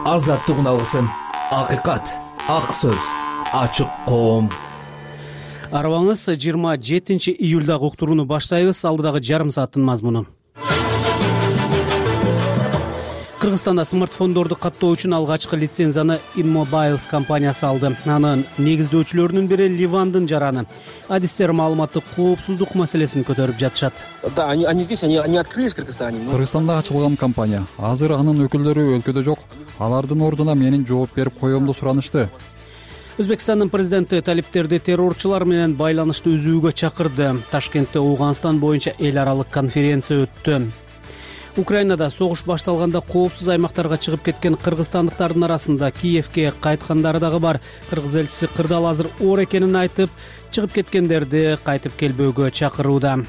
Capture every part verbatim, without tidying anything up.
азаттык алгысым, акыйкат, ак сөз, ачык коом. Арабаңыз жыйырма жетинчи июлдагы уктурууну баштайбыз. Алдыдагы жарым сааттын мазмуну. Кыргызстанда смартфондорду каттоо үчүн алгачкы лицензияны Immobile компаниясы алды. Анын негиздөөчүлөрүнүн бири Ливандын жараны. Адистер маалыматтык коопсуздук маселесин көтөрүп жатышат. Да, они они здесь, они они открылись в Кыргызстане. Кыргызстанда ачылган компания. Азыр анын өкүлдөрү өлкөдө жок. Алардын ордуна менин жооп берип коемду суранышты. Өзбекстандын президенти талиптерди террорчулар менен байланышты үзүүгө чакырды. Ташкентте Ооганстан боюнча эл аралык конференция өттү. Украинада согуш башталганда коопсуз аймактарга чыгып кеткен кыргызстандыктардын арасында Киевке кайткандары дагы бар. Кыргыз элчиси кырдаал азыр оор экенин айтып, чыгып кеткендерди кайтып келбөөгө чакырууда.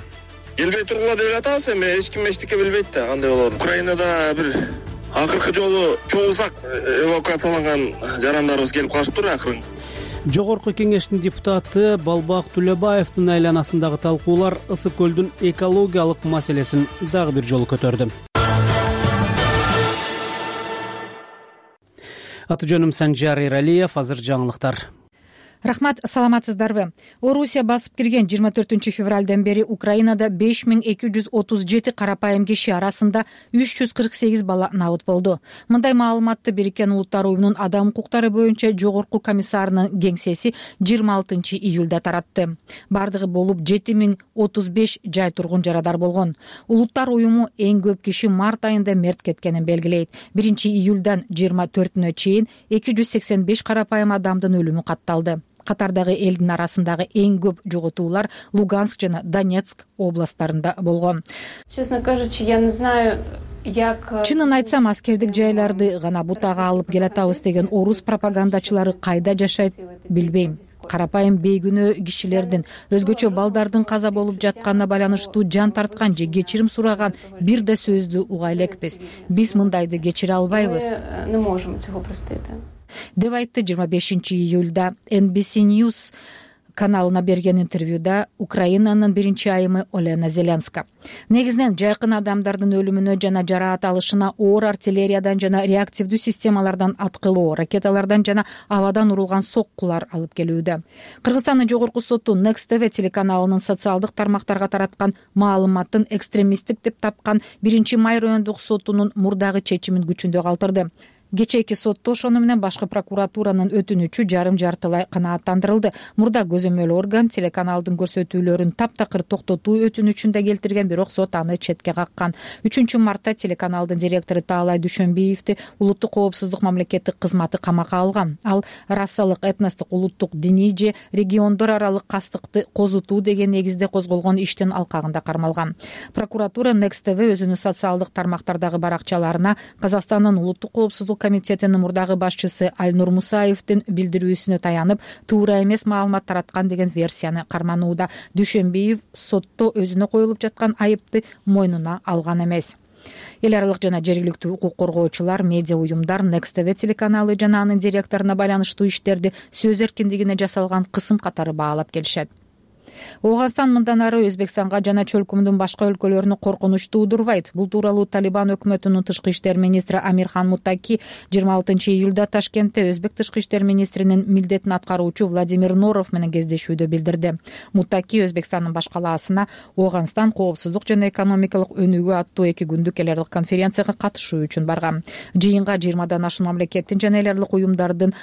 Келбей тургула деп атабыз, эми эч ким эчтеке билбейт да кандай болоорун. Украинада бир акыркы жолу чогулсак эвакуацияланган жарандарыбыз келип калышыптыр акырын. Жогорку кеңештин депутаты Балбак Түлөбаевдин айланасындагы талкуулар Ысык көлдүн экологиялык маселесин дагы бир жолу көтөрдү. Аты жөнүм Санжар Эралиев, азыр жаңылыктар. Рахмат, саламатсыздарбы? Орусия басып кирген жыйырма төртүнчү февралдан бери Украинада беш миң эки жүз отуз жети карапайым киши арасында үч жүз кырк сегиз бала набыт болду. Мындай маалыматты Бириккен Улуттар уюмунун адам укуктары боюнча жогорку комиссарынын кеңсеси жыйырма алтынчы июлда таратты. Бардыгы болуп жети миң отуз беш жай тургун жарадар болгон. Улуттар уюму эң көп киши март айында мерт кеткенин белгилейт. биринчи июлдан жыйырма төртүнө чейин эки жүз сексен беш карапайым адамдын өлүмү катталды. Катардагы элдин арасындагы эң көп жоготуулар Луганск жана Донецк областтарында болгон. Честно кажучи, я не знаю, як... Чынын айтсам, аскердик жайларды гана бутага алып келатабыз деген орус пропагандачылары кайда жашайт билбейм. Карапайым бейгүнөө кишилердин, өзгөчө балдардын каза болуп жатканына байланыштуу жан тарткан же кечирим сураган бир да сөздү уга элекпиз. Биз мындайды кечире албайбыз. Не можем цього простити. Деп айтты жыйырма бешинчи июлда эн би си News каналына берген интервьюда Украинанын биринчи айымы Олена Зеленска. Негизинен жайкын адамдардын өлүмүнө жана жараат алышына оор артиллериядан жана реактивдүү системалардан, аткылуу ракеталардан жана абадан урулган соккулар алып келүүдө. Кыргызстандын жогорку соту Next ти ви телеканалынын социалдык тармактарга тараткан маалыматтын экстремисттик деп тапкан биринчи май райондук сотунун мурдагы чечимин күчүндө калтырды. Кечээки сотто ошону менен башкы прокуратуранын өтүнүчү жарым жартылай канааттандырылды. Мурда көзөмөл орган телеканалдын көрсөтүүлөрүн таптакыр токтотуу өтүнүчүн да келтирген, бирок сот аны четке каккан. үчүнчү мартта телеканалдын директору Таалай Дүйшөнбиевди улуттук коопсуздук мамлекеттик кызматы камакка алган. Ал расалык, этностук, улуттук, диний же региондор аралык кастыкты козутуу деген негизде козголгон иштин алкагында кармалган. Прокуратура Next ти ви өзүнүн социалдык тармактардагы баракчаларына Казакстандын улуттук коопсуздук комитетинин мурдагы башчысы Альнур Мусаевдин билдирүүсүнө таянып, туура эмес маалымат тараткан деген версияны карманууда. Дүйшөнбиев сотто өзүнө коюлуп жаткан айыпты мойнуна алган эмес. Эл аралык жана жергиликтүү укук коргоочулар, медиа уюмдар Next ти ви телеканалы жана анын директоруна байланыштуу иштерди сөз эркиндигине жасалган кысым катары баалап келишет. Ооганстан мындан ары Өзбекстанга жана чөлкөмдүн башка өлкөлөрүнө коркунуч туудурбайт. Бул тууралуу Талибан өкмөтүнүн тышкы иштер министри Амирхан Муттаки жыйырма алтынчы июлда Ташкентте Өзбек тышкы иштер министринин милдетин аткаруучу Владимир Норов менен кездешүүдө билдирди. Муттаки Өзбекстандын баш калаасына Ооганстан коопсуздук жана экономикалык өнүгүү аттуу эки күндүк эл аралык конференцияга катышуу үчүн барган. Жыйынга жыйырмадан ашуун мамлекеттин жана эл аралык уюмдардын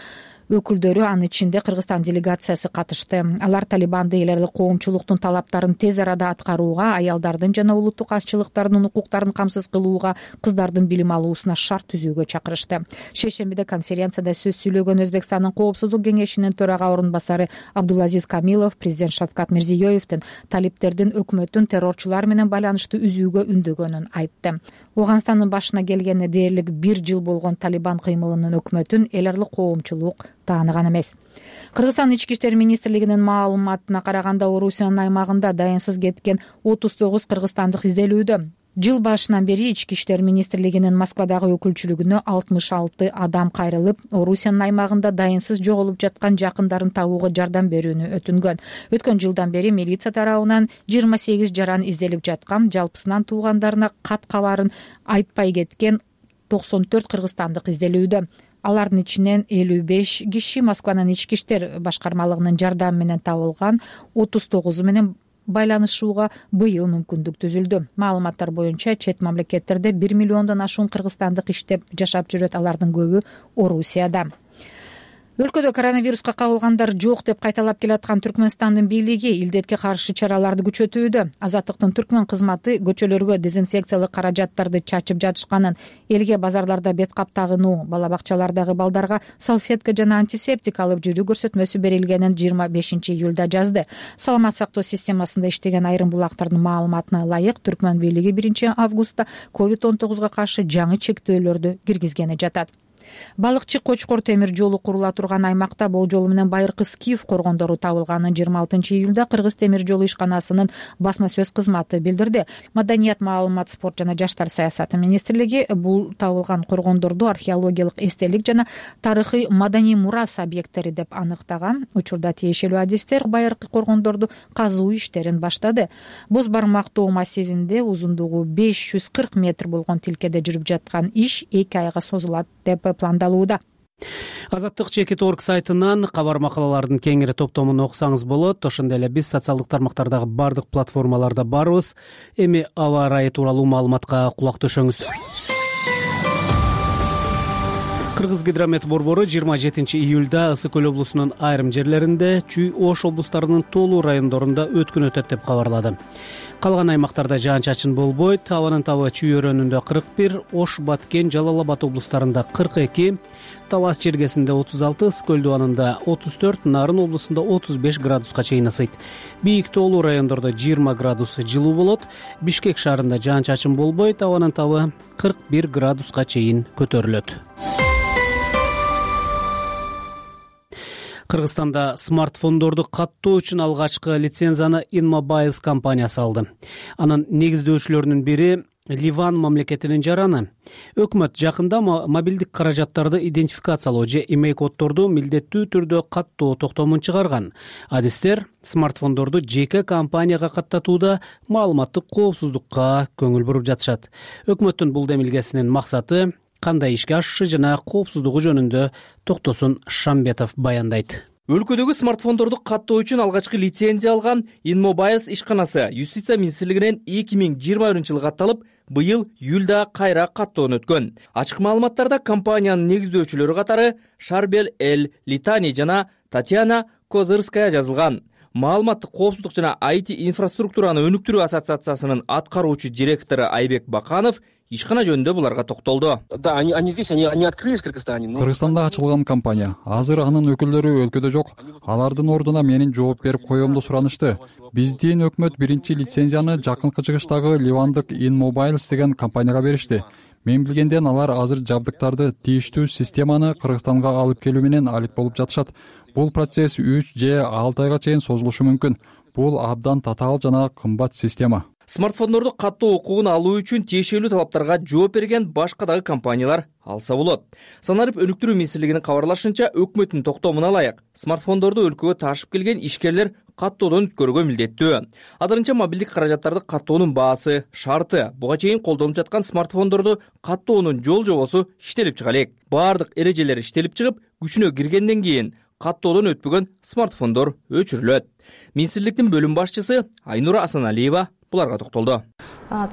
өкүлдөрү, анын ичинде Кыргызстан делегациясы катышты. Алар Талибанды эл аралык коомчулуктун талаптарын тез арада аткарууга, аялдардын жана улуттук азчылыктардын укуктарын камсыз кылууга, кыздардын билим алуусуна шарт түзүүгө чакырышты. Шейшембиде конференцияда сөз сүйлөгөн Өзбекстандын коопсуздук кеңешинин төрага орун басары Абдулазиз Камилов президент Шавкат Мирзиёевдин талиптердин өкмөттүн террорчулар менен байланышты үзүүгө үндөгөнүн айтты. Ооганстандын башына келгенине дээрлик бир жыл болгон Талибан кыймылынын өкмөтүн эл аралык коомчулук тааныган эмес. Кыргызстан ички иштер министрлигинин маалыматына караганда, Орусиянын аймагында дайынсыз кеткен отуз тогуз кыргызстандык изделүүдө. Жыл башынан бери ички иштер министрлигинин Москвадагы өкүлчүлүгүнө алтымыш алты адам кайрылып, Орусиянын аймагында дайынсыз жоголуп жаткан жакындарын табууга жардам берүүнү өтүнгөн. Өткөн жылдан бери милиция тарабынан жыйырма сегиз жаран изделип жаткан, жалпысынан туугандарына кат кабарын айтпай кеткен токсон төрт кыргызстандык изделүүдө. Алардын ичинен элүү беш киши Москванын ички иштер башкармалыгынын жардамы менен табылган, отуз тогузу менен байланышууга быйыл мүмкүндүк түзүлдү. Маалыматтар боюнча чет мамлекеттерде бир миллиондон ашуун кыргызстандык иштеп жашап жүрөт, алардын көбү Орусияда. Өлкөдө коронавируска кабылгандар жок деп кайталап келаткан Түркмөнстандын бийлиги илдетке каршы чараларды күчөтүүдө. Азаттыктын түркмөн кызматы көчөлөргө дезинфекциялык каражаттарды чачып жатышканын, элге базарларда бет кап тагынуу, бала бакчалардагы балдарга салфетка жана антисептик алып жүрүү көрсөтмөсү берилгенин жыйырма бешинчи июлда жазды. Саламат сактоо системасында иштеген айрым булактардын маалыматына ылайык, түркмөн бийлиги биринчи августта ковид он тогузга каршы жаңы чектөөлөрдү киргизгени жатат. Балыкчы Кочкор темир жолу курула турган аймакта болжолу менен байыркы скиф коргондору табылганын жыйырма алтынчы июлда Кыргыз темир жолу ишканасынын басма сөз кызматы билдирди. Маданият, маалымат, спорт жана жаштар саясаты министрлиги бул табылган коргондорду археологиялык эстелик жана тарыхый маданий мурас объекттери деп аныктаган. Учурда тиешелүү адистер байыркы коргондорду казуу иштерин баштады. Боз бармак тоо массивинде узундугу беш жүз кырк метр болгон тилкеде жүрүп жаткан иш эки айга созулат деп пландалууда. Азаттык чекит точка орг сайтынан кабар макалалардын кеңири топтомун окусаңыз болот. Ошондой эле биз социалдык тармактардагы бардык платформаларда барбыз. Эми аба ырайы тууралуу маалыматка кулак төшөңүз. Кыргызгидромет борбору жыйырма жетинчи июлда Ысык көл облусунун айрым жерлеринде, Чүй, Ош облустарынын тоолуу райондорунда өткүн өтөт деп кабарлады. Калган аймактарда жаан-чачын болбойт. Абанын табы Чүй өрөөнүндө кырк бир, Ош, Баткен, Жалал Абад облустарында кырк эки, Талас чергесинде отуз алты, Ысык көл дубанында отуз төрт, Нарын облусунда отуз беш градуска чейин ысыйт. Бийик тоолуу райондордо жыйырма градус жылуу болот. Бишкек шаарында жаан-чачын болбойт. Абанын табы кырк бир градуска чейин көтөрүлөт. Кыргызстанда смартфондорду каттоо үчүн алгачкы лицензияны InMobiles компаниясы алды. Анын негиздөөчүлөрүнүн бири Ливан мамлекетинин жараны. Өкмөт жакында мобилдик каражаттарды идентификациялоо же имей коддорду милдеттүү түрдө каттоо токтомун чыгарган. Адистер смартфондорду жеке компанияга каттатууда маалыматтык коопсуздукка көңүл буруп жатышат. Өкмөттүн бул демилгесинин максаты кандай ишке ашышы жана коопсуздугу жөнүндө Токтосун Шамбетов баяндайт. Өлкөдөгү смартфондорду каттоо үчүн алгачкы лицензия алган InMobiles ишканасы Юстиция министрлигинен эки миң жыйырма биринчи жылы катталып, быйыл июлда кайра каттоон өткөн. Ачык маалыматтарда компаниянын негиздөөчүлөрү катары Шарбел Эл Литани жана Татьяна Козырская жазылган. Маалыматтык коопсуздук жана ай ти инфраструктураны өнүктүрүү ассоциациясынын аткаруучу директору Айбек Баканов ишкана жөнүндө буларга токтолду. Да, они они здесь, они они открылись в Кыргызстане. Кыргызстанда ачылган компания. Азыр анын өкүлдөрү өлкөдө жок. Алардын ордуна менин жооп берип коёмду суранышты. Биздин өкмөт биринчи лицензияны жакынкы чыгыштагы ливандык InMobiles деген компанияга беришти. Мен билгенден алар азыр жабдыктарды тийиштүү системаны Кыргызстанга алып келүү менен алек болуп жатышат. Бул процесс үч же алты айга чейин созулушу мүмкүн. Бул абдан татаал жана кымбат система. Смартфондорду каттоо укугун алуу үчүн тиешелүү талаптарга жооп берген башка дагы компаниялар алса болот. Саналып өнүктүрүү министрлигинин кабарлашынча, өкмөттүн токтомуна ылайык смартфондорду өлкөгө ташып келген ишкерлер каттоодон өткөрүүгө милдеттүү. Азырынча мобилдик каражаттарды каттоонун баасы, шарты, буга чейин колдонуп жаткан смартфондорду каттоонун жол жобосу иштелип чыга элек. Баардык эрежелер иштелип чыгып, күчүнө киргенден кийин каттоодон өтпөгөн смартфондор өчүрүлөт. Министрликтин бөлүм башчысы Айнура Асаналиева буларга токтолду.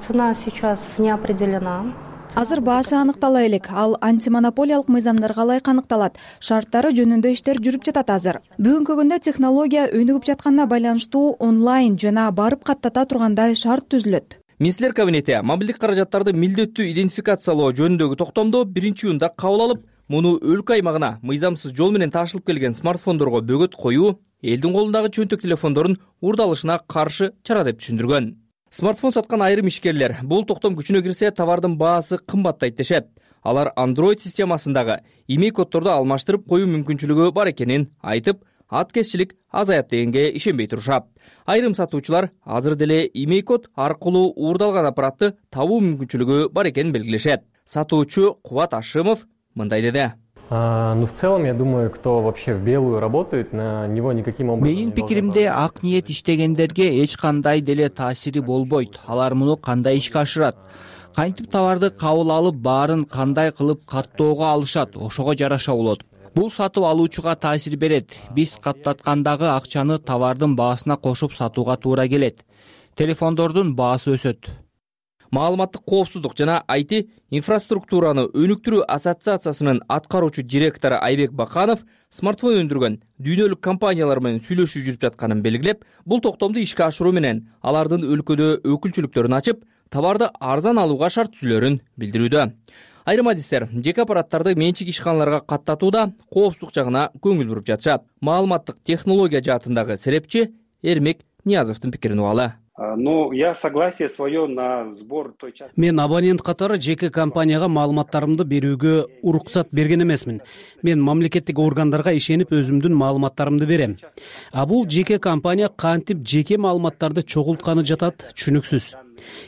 Цена сейчас не определена. Азыр баасы аныктала элек, ал антимонополиялык мыйзамдарга ылайык аныкталат. Шарттары жөнүндө иштер жүрүп жатат азыр. Бүгүнкү күндө технология өнүгүп жатканына байланыштуу онлайн жана барып каттата тургандай шарт түзүлөт. Министрлер кабинети мобилдик каражаттарды милдеттүү идентификациялоо жөнүндөгү токтомду биринчи июнда кабыл алып, муну өлкө аймагына мыйзамсыз жол менен ташылып келген смартфондорго бөгөт коюу, элдин колундагы чөнтөк телефондордун урдалышына каршы чара деп түшүндүргөн. Смартфон саткан айрым ишкерлер бул токтом күчүнө кирсе товардын баасы кымбаттайт дешет. Алар Android системасындагы имей коддорду алмаштырып коюу мүмкүнчүлүгү бар экенин айтып, аткезчилик азаят дегенге ишенбей турушат. Айрым сатуучулар азыр деле имей код аркылуу уурдалган аппаратты табуу мүмкүнчүлүгү бар экенин белгилешет. Сатуучу Кубат Ашимов мындай деди. Ну, в целом, я думаю, кто вообще в белую работает, на него никаким образом. Менин пикиримде ак ниет иштегендерге эч кандай деле таасири болбойт. Алар муну кандай ишке ашырат? кантип товарды кабыл алып баарын кандай кылып каттоого алышат, ошого жараша болот. Бул сатып алуучуга таасир берет. Биз каттаткандагы акчаны товардын баасына кошуп сатууга туура келет. Телефондордун баасы өсөт. Маалыматтык коопсуздук жана ай ти инфраструктураны өнүктүрүү ассоциациясынын аткаруучу директору Айбек Баканов смартфон өндүргөн дүйнөлүк компаниялар менен сүйлөшүү жүрүп жатканын белгилеп, бул токтомду ишке ашыруу менен алардын өлкөдө өкүлчүлүктөрүн ачып, товарды арзан алууга шарт түзүлөрүн билдирүүдө. Айрым адистер жеке аппараттарды менчик ишканаларга каттатууда коопсуздук жагына көңүл буруп жатышат. Маалыматтык технология жаатындагы серепчи Эрмек Ниязовдун пикирин угалы. Ну, я согласие свое на сбор той части. Мен абонент катары жеке компанияга маалыматтарымды берүүгө уруксат берген эмесмин. Мен мамлекеттик органдарга ишенип өзүмдүн маалыматтарымды берем. А бул жеке компания кантип жеке маалыматтарды чогултканы жатат, түшүнүксүз.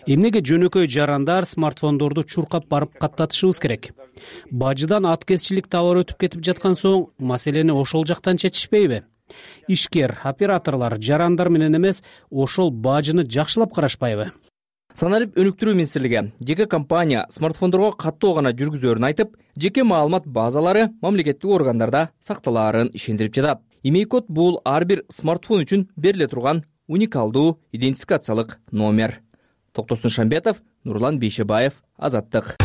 Эмнеге жөнөкөй жарандар смартфондорду чуркап барып каттатышыбыз керек? Бажыдан аткезчилик товар өтүп кетип жаткан соң, маселени ошол жактан чечишпейби? Ишкер, операторлор жарандар менен эмес, ошол бажыны жакшылап карашпайбы? Саналып өнүктүрүү министрлиги жеке компания смартфондорго каттоо гана жүргүзөөрүн айтып, жеке маалымат базалары мамлекеттик органдарда сакталаарын ишендирип жатат. Имей-код бул ар бир смартфон үчүн бериле турган уникалдуу идентификациялык номер. Токтосун Шамбетов, Нурлан Бейшебаев, Азаттык.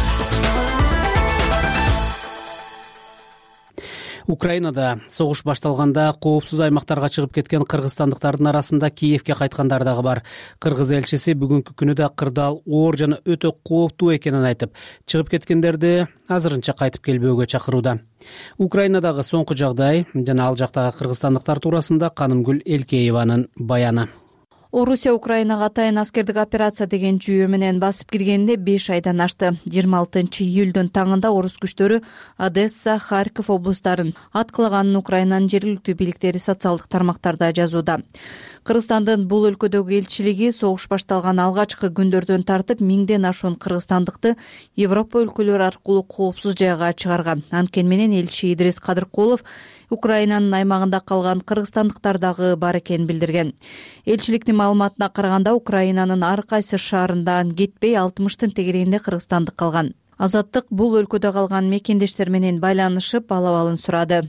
Украинада согуш башталганда коопсуз аймактарга чыгып кеткен кыргызстандыктардын арасында Киевке кайткандар дагы бар. Кыргыз элчиси бүгүнкү күнү да кырдаал оор жана өтө кооптуу экенин айтып, чыгып кеткендерди азырынча кайтып келбөөгө чакырууда. Украинадагы соңку жагдай жана ал жактагы кыргызстандыктар туурасында Канымгүл Элкееванын баяны. Орусия Украинага атайын аскердик операция деген жүйө менен басып киргенде беш айдан ашты. жыйырма алтынчы июлдун таңында орус күчтөрү Одесса, Харьков облустарын аткылаганын Украинанын жергиликтүү бийликтери социалдык тармактарда жазууда. Кыргызстандын бул өлкөдөгү элчилиги согуш башталган алгачкы күндөрдөн тартып миңден ашуун кыргызстандыкты Европа өлкөлөрү аркылуу коопсуз жайга чыгарган. Анткени менен элчи Идрис Кадыркулов Украинанын аймагында калган кыргызстандыктар дагы бар экенин билдирген. Элчиликтин маалыматына караганда Украинанын ар кайсы шаарынан кетпей алтымыштын тегерегинде кыргызстандык калган. Азаттык бул өлкөдө калган мекендештер менен байланышып алабалын сурады.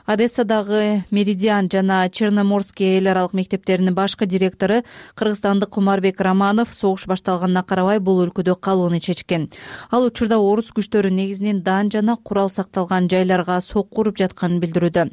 Одессадагы Меридиан жана Черноморский эл аралык мектептеринин башкы директору кыргызстандык Кумарбек Романов согуш башталганына карабай бул өлкөдө калууну чечкен. Ал учурда орус күчтөрү негизинен дан жана курал сакталган жайларга сокку уруп жатканын билдирүүдө.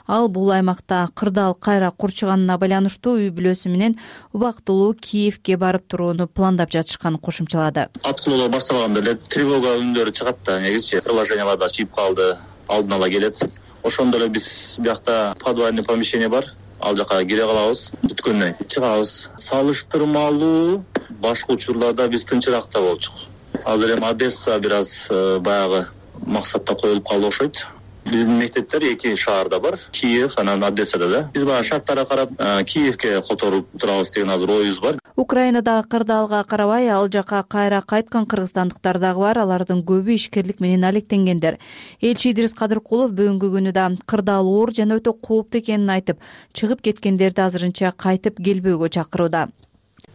Ал бул аймакта кырдаал кайра курчуганына байланыштуу үй бүлөсү менен убактылуу Киевке барып турууну пландап жатышканын кошумчалады. Аткылоо башталганда эле тревога үндөрү чыгат да, негизичи приложенияларда чип калды, алдын ала келет. Ошондо эле биз биякта подвальный помещение бар. Ал жака кире калабыз, бүткөндөн чыгабыз. Салыштырмалуу башка учурларда биз тынчыракта болчук. Азыр эми Одесса бир аз баягы максатта коюлуп калды окшойт. Биздин мектептер эки шаарда бар, Киев анан Одессада да. Биз баягы шарттарга карап Киевке которуп турабыз деген азыр оюбуз бар. Украинадагы кырдаалга карабай ал жака кайра кайткан кыргызстандыктар дагы бар. Алардын көбү ишкерлик менен алектенгендер. Элчи Идрис Кадыркулов бүгүнкү күнү да кырдаал оор жана өтө кооптуу экенин айтып, чыгып кеткендерди азырынча кайтып келбөөгө чакырууда.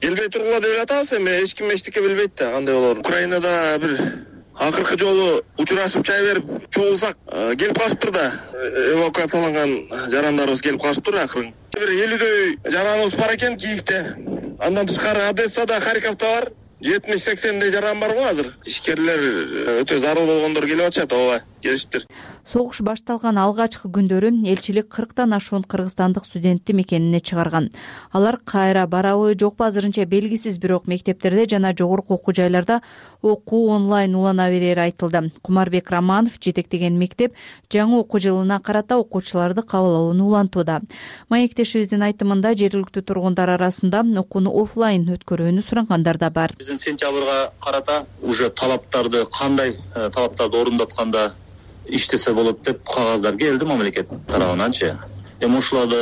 Келбей тургула деп атабыз, эми эч ким эчтеке билбейт да, кандай болорун. Украинада бир акыркы жолу учурашып чай берип чогулсак келип калышыптыр да. Эвакуацияланган жарандарыбыз келип калышыптыр акырын. Бир элүүдөй жараныбыз бар экен Киевде. Андан тышкары Одессада, Харьковдо бар. жетимиш сексендей жаран бар го азыр. Ишкерлер өтө зарыл болгондор келип атышат, ооба, келишиптир. Согуш башталган алгачкы күндөрү элчилик кырктан ашуун кыргызстандык студентти мекенине чыгарган. Алар кайра барабы жокпу азырынча белгисиз, бирок мектептерде жана жогорку окуу жайларда окуу онлайн улана берери айтылды. Кумарбек Романов жетектеген мектеп жаңы окуу жылына карата окуучуларды кабыл алууну улантууда. Маектешибиздин айтымында жергиликтүү тургундар арасында окууну офлайн өткөрүүнү сурангандар да бар. Биздин сентябрга карата уже талаптарды кандай талаптарды орундатканда иштесе болот деп кагаздар келди мамлекет тарабынанчы. Эми ушуларды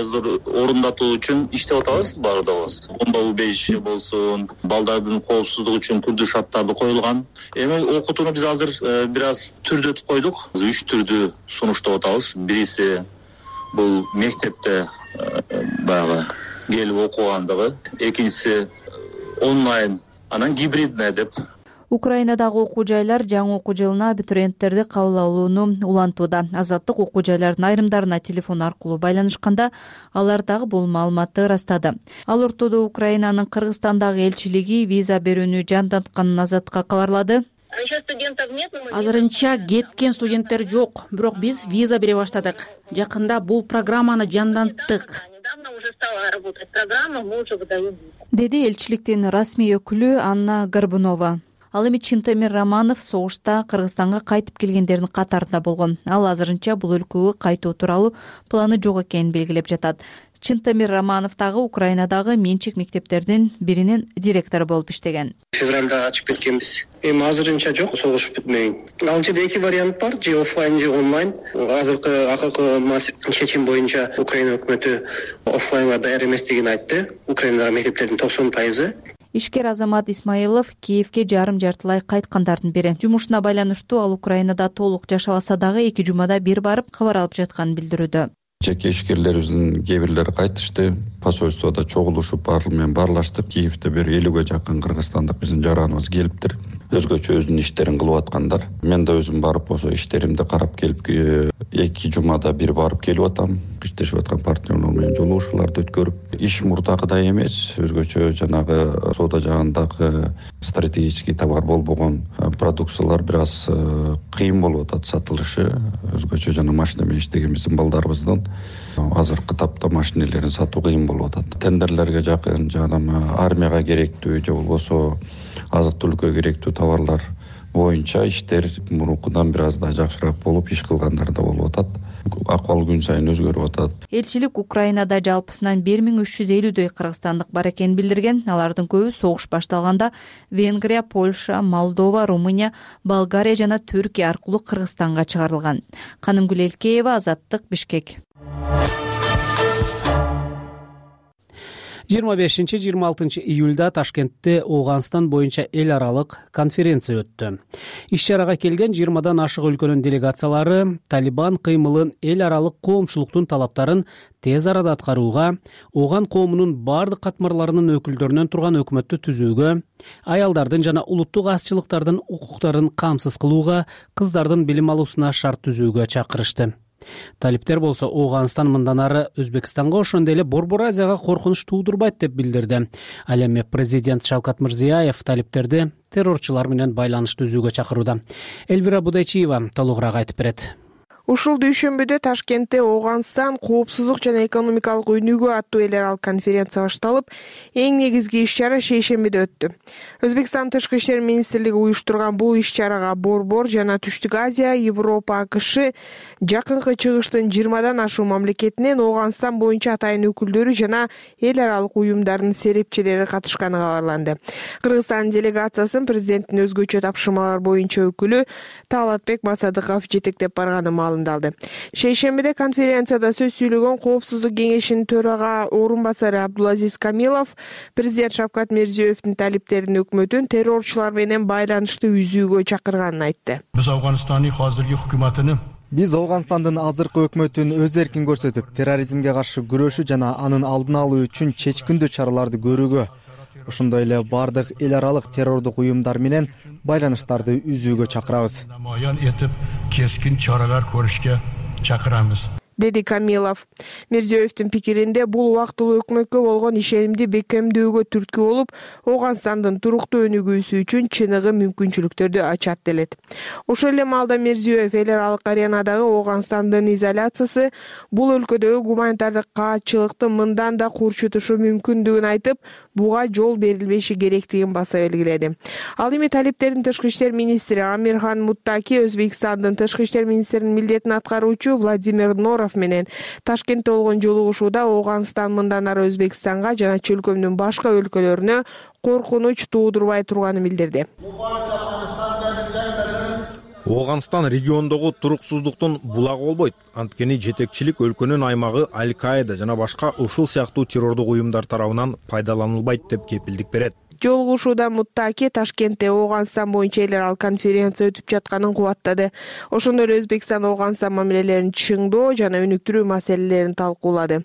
орундатуу үчүн иштеп атабыз баардыгыбыз. Бомба убежище болсун, балдардын коопсуздугу үчүн түрдүү шарттарды коюлган. Эми окутууну биз азыр бир аз түрдөтүп койдук. Үч түрдүү сунуштап атабыз. Бириси бул мектепте баягы келип окугандыгы, экинчиси онлайн, анан гибридный деп. Украинадагы окуу жайлар жаңы окуу жылына абитуриенттерди кабыл алууну улантууда. Азаттык окуу жайлардын айрымдарына телефон аркылуу байланышканда алар дагы бул маалыматты ырастады. Ал ортодо Украинанын Кыргызстандагы элчилиги виза берүүнү жандантканын Азаттыкка кабарлады. Азырынча кеткен студенттер жок, бирок биз виза бере баштадык. Жакында бул программаны жанданттык. Деди элчиликтин расмий өкүлү Анна Горбунова. Ал эми Чынтемир Романов согушта Кыргызстанга кайтып келгендердин катарында болгон. Ал азырынча бул өлкөгө кайтуу тууралуу планы жок экенин белгилеп жатат. Чынтемир Романов дагы Украинадагы менчик мектептердин биринин директору болуп иштеген. Февралда ачып кеткенбиз. Эми азырынча жок, согуш бүтмөйүн. Ал жерде эки вариант бар, же офлайн же онлайн. Азыркы акыркы чечим боюнча Украина өкмөтү офлайнга даяр эместигин айтты. Украинадагы мектептердин токсон пайызы. Ишкер Азамат Исмаилов Киевге жарым жартылай кайткандардын бири. Жумушуна байланыштуу ал Украинада толук жашабаса дагы эки жумада бир барып кабар алып жатканын билдирүүдө. Жеке ишкерлерибиздин кээ бирлери кайтышты. Посольстводо чогулушуп баары менен баарлаштык. Киевде бир элүүгө жакын кыргызстандык биздин жараныбыз келиптир. Өзгөчө өзүнүн иштерин кылып аткандар. Мен да өзүм барып болсо иштеримди карап келип эки жумада бир барып келип атам. Иштешип аткан партнерлор менен жолугушууларды өткөрүп, иш мурдагыдай эмес, өзгөчө жанагы соода жагындагы стратегический товар болбогон продукциялар бир аз кыйын болуп атат сатылышы. Өзгөчө жана машина менен иштеген биздин балдарыбыздын азыркы тапта машинелерин сатуу кыйын болуп атат. Тендерлерге жакын жана армияга керектүү же болбосо азык-түлүккө керектүү товарлар боюнча иштер мурункудан бир аз да жакшыраак болуп, иш кылгандар да болуп атат. Акыбал күн сайын өзгөрүп атат. Элчилик Украинада жалпысынан бир миң үч жүз элүүдөй кыргызстандык бар экенин билдирген. Алардын көбү согуш башталганда Венгрия, Польша, Молдова, Румыния, Болгария жана Түркия аркылуу Кыргызстанга чыгарылган. Канымгүл Элкеева, Азаттык, Бишкек. жыйырма бешинчи жыйырма алтынчы июлда Ташкентте Ооганстан боюнча эл аралык конференция өттү. Иш-чарага келген жыйырмадан ашык өлкөнүн делегациялары Талибан кыймылын эл аралык коомчулуктун талаптарын тез арада аткарууга, Ооган коомунун бардык катмарларынын өкүлдөрүнөн турган өкмөттү түзүүгө, аялдардын жана улуттук азчылыктардын укуктарын камсыз кылууга, кыздардын билим алуусуна шарт түзүүгө чакырышты. Талиптер болсо Ооганстан мындан ары Өзбекстанга ошондой эле Борбор Азияга коркунуч туудурбайт деп билдирди. Ал эми президент Шавкат Мирзиёев талиптерди террорчулар менен байланыш түзүүгө чакырууда. Элвира Будайчиева толугураак айтып берет. Ушул дүйшөмбүдө Ташкентте Ооганстан коопсуздук жана экономикалык өнүгүү аттуу эл аралык конференция башталып, эң негизги иш-чара шейшембиде өттү. Өзбекстан тышкы иштер министрлиги уюштурган бул иш-чарага Борбор жана Түштүк Азия, Европа, АКШ, Жакынкы Чыгыштын жыйырмадан ашуун мамлекетинен Ооганстан боюнча атайын өкүлдөрү жана эл аралык уюмдардын серепчилери катышканы кабарланды. Кыргызстан делегациясын президенттин өзгөчө тапшырмалар боюнча өкүлү Талатбек Масадыков жетектеп барганы маалымдалды. Шейшембиде конференцияда сөз сүйлөгөн Коопсуздук кеңешинин төрага орун басары Абдулазиз Камилов президент Шавкат Мирзиёевдин талиптерин өкмөтүн террорчулар менен байланышты үзүүгө чакырганын айтты. Биз Афганстандын азыркы өкмөтүн Биз Ооганстандын азыркы өкмөтүн өз эркин көрсөтүп, терроризмге каршы күрөшүү жана анын алдын алуу үчүн чечкиндүү чараларды көрүүгө, ошондой эле бардык эл аралык террордук уюмдар менен байланыштарды үзүүгө чакырабыз. Намаян этип, кескин чаралар көрүшкө чакырабыз, деди Камилов. Мирзиёевдин пикиринде бул убактылуу өкмөткө болгон ишенимди бекемдөөгө түрткү болуп, Ооганстандын туруктуу өнүгүүсү үчүн чыныгы мүмкүнчүлүктөрдү ачат делет. Ошол эле маалда Мирзиёев эл аралык аренадагы Ооганстандын изоляциясы бул өлкөдөгү гуманитардык каатчылыктын мындан да курчутушу мүмкүндүгүн айтып, буга жол берилбеши керектигин баса белгиледи. Ал эми талиптердин тышкы иштер министри Амирхан Муттаки Өзбекстандын тышкы иштер министринин милдетин аткаруучу Владимир Норов менен Ташкентте болгон жолугушууда Ооганстан мындан ары Өзбекстанга жана чөлкөмдүн башка өлкөлөрүнө коркунуч туудурбай турганын билдирди. Ооганстан региондогу туруксуздуктун булагы болбойт. Анткени жетекчилик өлкөнүн аймагы Аль-Каида жана башка ушул сыяктуу террордук уюмдар тарабынан пайдаланылбайт деп кепилдик берет. Жолугушууда Муттаки Ташкентте Ооганстан боюнча эл аралык конференция өтүп жатканын кубаттады. Ошондой эле Өзбекстан Ооганстан мамилелерин чыңдоо жана өнүктүрүү маселелерин талкуулады.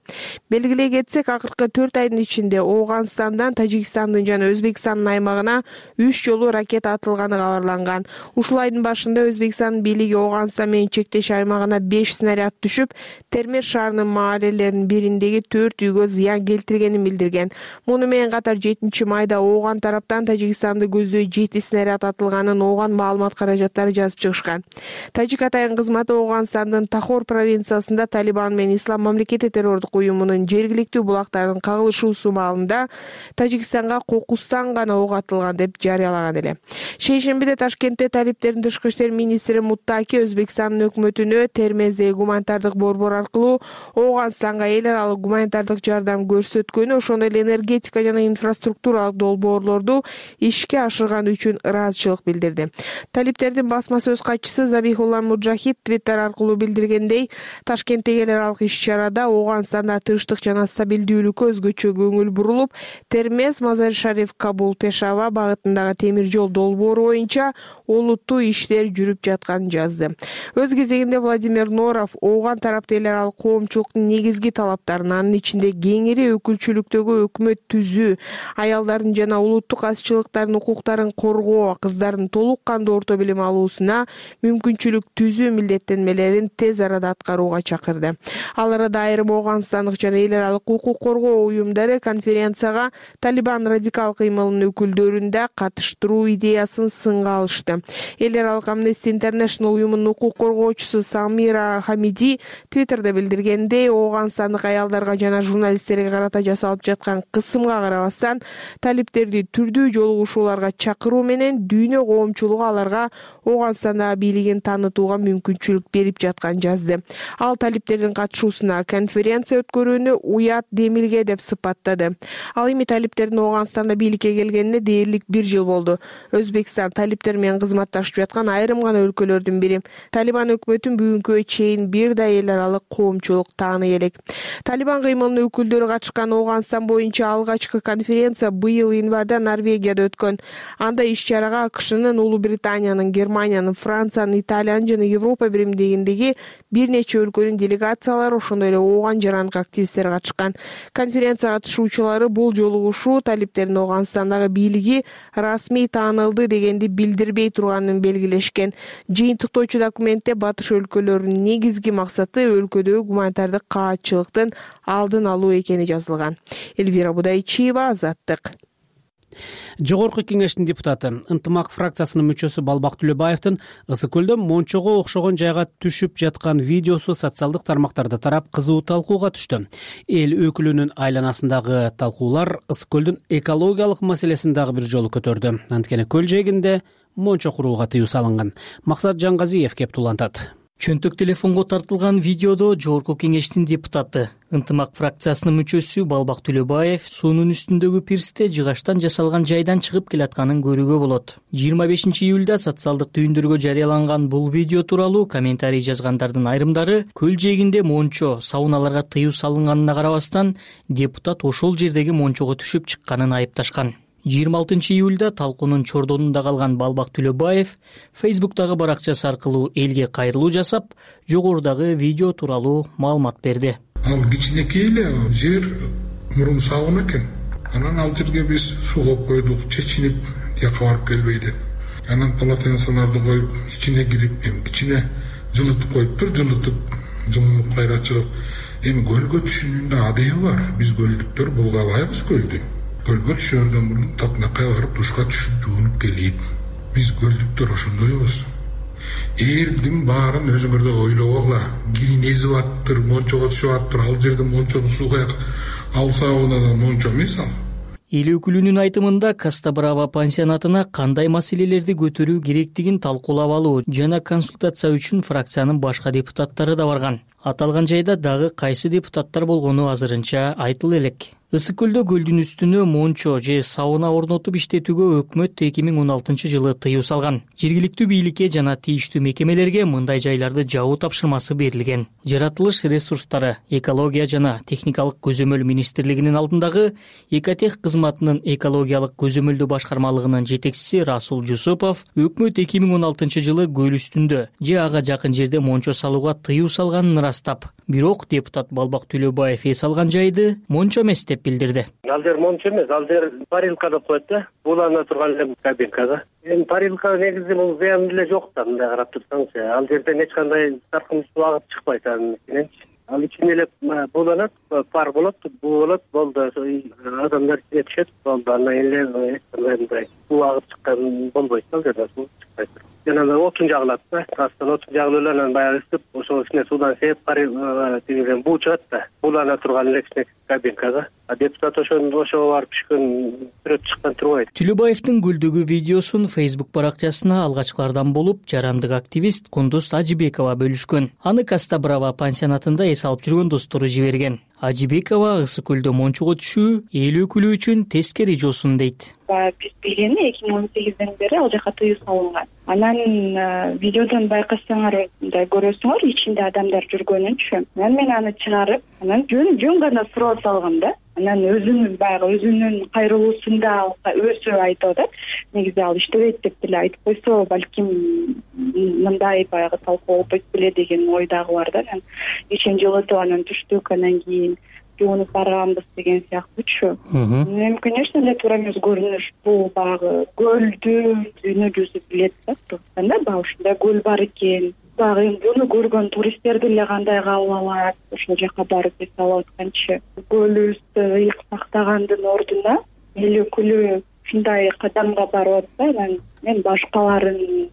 Белгилей кетсек, акыркы төрт айдын ичинде Ооганстандан Тажикстандын жана Өзбекстандын аймагына үч жолу ракета атылганы кабарланган. Ушул айдын башында Өзбекстандын бийлиги Ооганстан менен чектеш аймагына беш снаряд түшүп, Термеш шаарынын маалелеринин бириндеги төрт үйгө зыян келтиргенин билдирген. Муну менен катар жетинчи майда Ооган тараптан Тажикстанды көздөй жети снаряд атылганын Ооган маалымат каражаттары жазып чыгышкан. Тажик атайын кызматы Ооганстандын Тахор провинциясында Талибан менен Ислам мамлекети террордук уюмунун жергиликтүү булактардын кагылышуусу маалында Тажикстанга кокустан гана ок атылган деп жарыялаган эле. Шейшембиде Ташкентте талиптердин тышкы иштер министри Муттаки Өзбекстандын өкмөтүнө Термездеги гуманитардык борбор аркылуу Ооганстанга эл аралык гуманитардык жардам көрсөткөнү, ошондой эле энергетика жана инфраструктуралык долбоорлорду ишке ашырган үчүн ыраазычылык билдирди. Талиптердин басма сөз катчысы Забихулла Муджахид Твиттер аркылуу билдиргендей, Ташкенттеги эл аралык иш-чарада Ооганстанда тынчтык жана стабилдүүлүккө өзгөчө көңүл бурулуп, Термез, Мазар-Шариф, Кабул, Пешава багытындагы темир жол долбоору боюнча олуттуу иштер жүрүп жатканын жазды. Өз кезегинде Владимир Норов Ооган тарапты эл аралык коомчулуктун негизги талаптарын, анын ичинде кеңири өкүлчүлүктөгү өкмөт түзүү, аялдардын жана улуттук азчылыктардын укуктарын коргоо, кыздардын толук кандуу орто билим алуусуна мүмкүнчүлүк түзүү милдеттенмелерин тез арада аткарууга чакырды. Ал арада айрым Ооганстандык жана эл аралык укук коргоо уюмдары конференцияга Талибан радикал кыймылынын өкүлдөрүн да катыштыруу идеясын сынга алышты. Эл аралык Amnesty International уюмунун укук коргоочусу Самира Хамиди Твиттерде билдиргендей, Ооганстандык аялдарга жана журналисттерге карата жасалып жаткан кысымга карабастан, талиптерди түрдүү жолугушууларга чакыруу менен дүйнө коомчулугу аларга Ооганстандагы бийлигин таанытууга мүмкүнчүлүк берип жатканын жазды. Ал талиптердин катышуусуна конференция өткөрүүнү уят демилге деп сыпаттады. Ал эми талиптердин Ооганстанда бийликке келгенине дээрлик бир жыл болду. Өзбекстан талиптер менен кызматташып жаткан айрым гана өлкөлөрдүн бири. Талибан өкмөтүн бүгүнкү чейин бир да эл аралык коомчулук тааный элек. Талибан кыймылынын өкүлдөрү катышкан Ооганстан боюнча алгачкы конференция быйыл январда Норвегияда өткөн. Анда иш-чарага АКШнын, Улуу Британиянын, Германиянын, Франциянын, Италиянын жана Европа биримдигиндеги бир нече өлкөнүн делегациялары, ошондой эле Ооган жарандык активисттер катышкан. Конференция катышуучулары бул жолугушуу талиптердин Ооганстандагы бийлиги расмий таанылды дегенди билдирбей турганын белгилешкен. Жыйынтыктоочу документте батыш өлкөлөрүнүн негизги максаты өлкөдөгү гуманитардык каатчылыктын алдын алуу экени жазылган. Эльвира Будайчиева, Азаттык. Жогорку кеңештин депутаты, Ынтымак фракциясынын мүчөсү Балбак Түлөбаевдин Ысык көлдө мончого окшогон жайга түшүп жаткан видеосу социалдык тармактарда тарап кызуу талкууга түштү. Эл өкүлүнүн айланасындагы талкуулар Ысык көлдүн экологиялык маселесин дагы бир жолу көтөрдү. Анткени көл жээгинде мончо курууга тыюу салынган. Максат Жаңгазиев кеп тулантат. Чөнтөк телефонго тартылган видеодо Жогорку кеңештин депутаты, Ынтымак фракциясынын мүчөсү Балбак Түлөбаев суунун үстүндөгү пирсте жыгачтан жасалган жайдан чыгып келатканын көрүүгө болот. жыйырма бешинчи июлда социалдык түйүндөргө жарыяланган бул видео тууралуу комментарий жазгандардын айрымдары көл жээгинде мончо, сауналарга тыюу салынганына карабастан, депутат ошол жердеги мончого түшүп чыкканын айыпташкан. жыйырма алтынчы июлда талкуунун чордонунда калган Балбак Түлөбаев Фейсбуктагы баракчасы аркылуу элге кайрылуу жасап, жогорудагы видео тууралуу маалымат берди. Ал кичинекей эле жер, мурун сауна экен. Анан ал жерге биз суу коюп койдук, чечинип тияка барып келбей деп. Анан полотенцаларды коюп, ичине кирип, эми кичине жылытып коюптур, жылытып, жылынып кайра чыгып. Эми көлгө түшүүнүн да адеби бар. Биз көлдүктөр булгабайбыз көлдү. Көлгө түшөрдөн мурун татынакка барып душка түшүп жуунуп келип. Биз көлдүктөр ошондойбуз. Элдин баарын өзүңөрдө ойлогула. Кирин эзип аттыр, мончого түшүп аттыр, ал жерде мончону суу каяк. Ал саунадан мончо эмес ал. Эл өкүлүнүн айтымында Коста Брава пансионатына кандай маселелерди көтөрүү керектигин талкуулап алуу жана консультация үчүн фракциянын башка депутаттары да барган. Аталган жайда дагы кайсы депутаттар болгону азырынча айтыла элек. Ысык көлдө көлдүн үстүнө мончо же сауна орнотуп иштетүүгө өкмөт эки миң он алтынчы жылы тыюу салган. Жергиликтүү бийликке жана тийиштүү мекемелерге мындай жайларды жабуу тапшырмасы берилген. Жаратылыш ресурстары, экология жана техникалык көзөмөл министрлигинин алдындагы Экотех кызматынын экологиялык көзөмөлдөө башкармалыгынын жетекчиси Расул Жусупов өкмөт эки миң он алтынчы жылы көл үстүндө же ага жакын жерде мончо салууга тыюу салганын ырастап, бирок депутат Балбак Төлөбаев эс алган жайды мончо эмес деп билдирди. Ал жер мончо эмес, ал жер парилка деп коет да, булана турган эле кабинкада. Эми парилка негизи бул зыян деле жок да, мындай карап турсаңыз, ал жерден эч кандай саркын суу агып чыкпайт анын ичиненчи. Ал ичине эле буланат, пар болот, буу болот, болду. Адамдар ичине түшөт, болду. Андан кийин эле эч кандай мындай суу агып чыккан болбойт, ал жерде суу чыкпайт. Жана отун жагылат да, астан отун жагылып эле анан баягы ысып, ошол ичине суудан сээп, тигиден буу чыгат да, булана турган эле кичине кабинкага. А депутат ошону ошого барып түшкөн, сүрөт чыккан турбайт. Төлөбаевдин көлдөгү видеосун Facebook баракчасына алгачкылардан болуп жарандык активист Кундуз Ажибекова бөлүшкөн. Аны Кастабрава пансионатында эс алып жүргөн достору жиберген. Ажибекова ысык көлдө мончого түшүү эл өкүлү үчүн тескери жосун дейт. Биз билгени эки миң он сегизден бери ал жака тыюу салынган. Анан видеодон байкасаңар, мындай көрөсүңөр, ичинде адамдар жүргөнүнчү. Анан мен аны чыгарып, анан жөн жөн гана суроо салгам да. Анан өзүнүн баягы өзүнүн кайрылуусунда өзү айтып атат. Негизи ал иштебейт деп деле айтып койсо, балким мындай баягы талкуу болбойт беле деген ой дагы бар да. Анан ишен жылытып анан түштүк, анан кийин жуунуп барганбыз деген сыяктуучу. Эми, конечно эле туура эмес көрүнүш. Бул баягы көлдү дүйнө жүзү билет да. Анда баягы ушундай көл бар экен. Баягы эми буну көргөн туристтер деле кандай кабыл алат, ошол жака барып эс алып атканчы. Көлүбүздү ыйык сактагандын ордуна эл өкүлү ушундай кадамга барып атса, анан мен башкаларын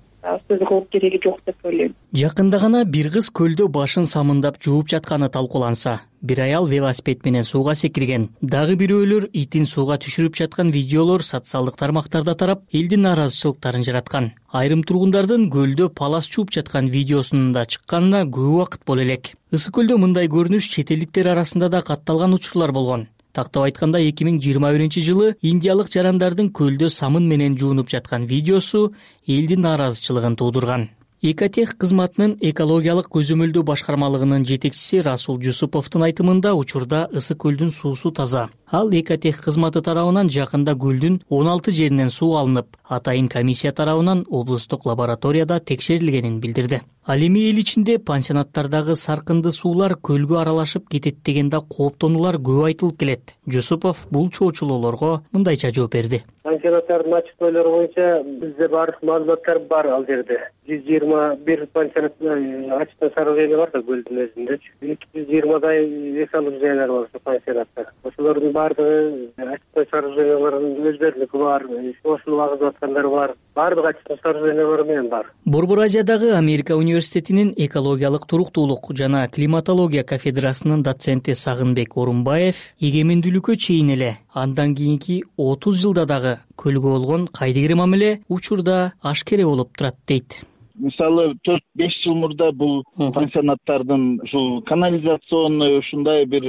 сөз кылып кереги жок деп ойлойм. Жакында гана бир кыз көлдө башын самындап жууп жатканы талкууланса, бир аял велосипед менен сууга секирген. Дагы бирөөлөр итин сууга түшүрүп жаткан видеолор социалдык тармактарда тарап, элдин нааразычылыктарын жараткан. Айрым тургундардын көлдө палас чууп жаткан видеосунун да чыкканына көп убакыт боло элек. Ысык көлдө мындай көрүнүш чет элдиктер арасында да катталган учурлар болгон. Тактап айтканда эки миң жыйырма биринчи жылы индиялык жарандардын көлдө самын менен жуунуп жаткан видеосу элдин нааразычылыгын туудурган. Экотех кызматынын экологиялык көзөмөлдөө башкармалыгынын жетекчиси Расул Жусуповдун айтымында учурда ысык көлдүн суусу таза. Ал Экотех кызматы тарабынан жакында көлдүн он алты жеринен суу алынып, атайын комиссия тарабынан облустук лабораторияда текшерилгенин билдирди. Ал эми эл ичинде пансионаттардагы саркынды суулар көлгө аралашып кетет деген да кооптонуулар көп айтылып келет. Жусупов бул чоочулоолорго мындайча жооп берди. Пансионаттардын ачыктоолору боюнча бизде баардык маалыматтар бар ал жерде. жүз жыйырма бир пансионат ачыктоо сооружение бар да көлдүн өзүндө. эки жүз жыйырмадай эс алуу жайлары бар ошо пансионатта. Ошолордун баардыгы ачыктоо сооруженияларынын өздөрүнүкү бар, ошону агызып аткандар бар. Баардык ачыктоо сооружениялар менен бар. Борбор Азиядагы Америка университетинин экологиялык туруктуулук жана климатология кафедрасынын доценти Сагынбек Орунбаев эгемендүүлүккө чейин эле, андан кийинки отуз жылда дагы көлгө болгон кайдыгер мамиле учурда ашкере болуп турат дейт. Мисалы төрт беш жыл мурда бул пансионаттардын ушул канализационный ушундай бир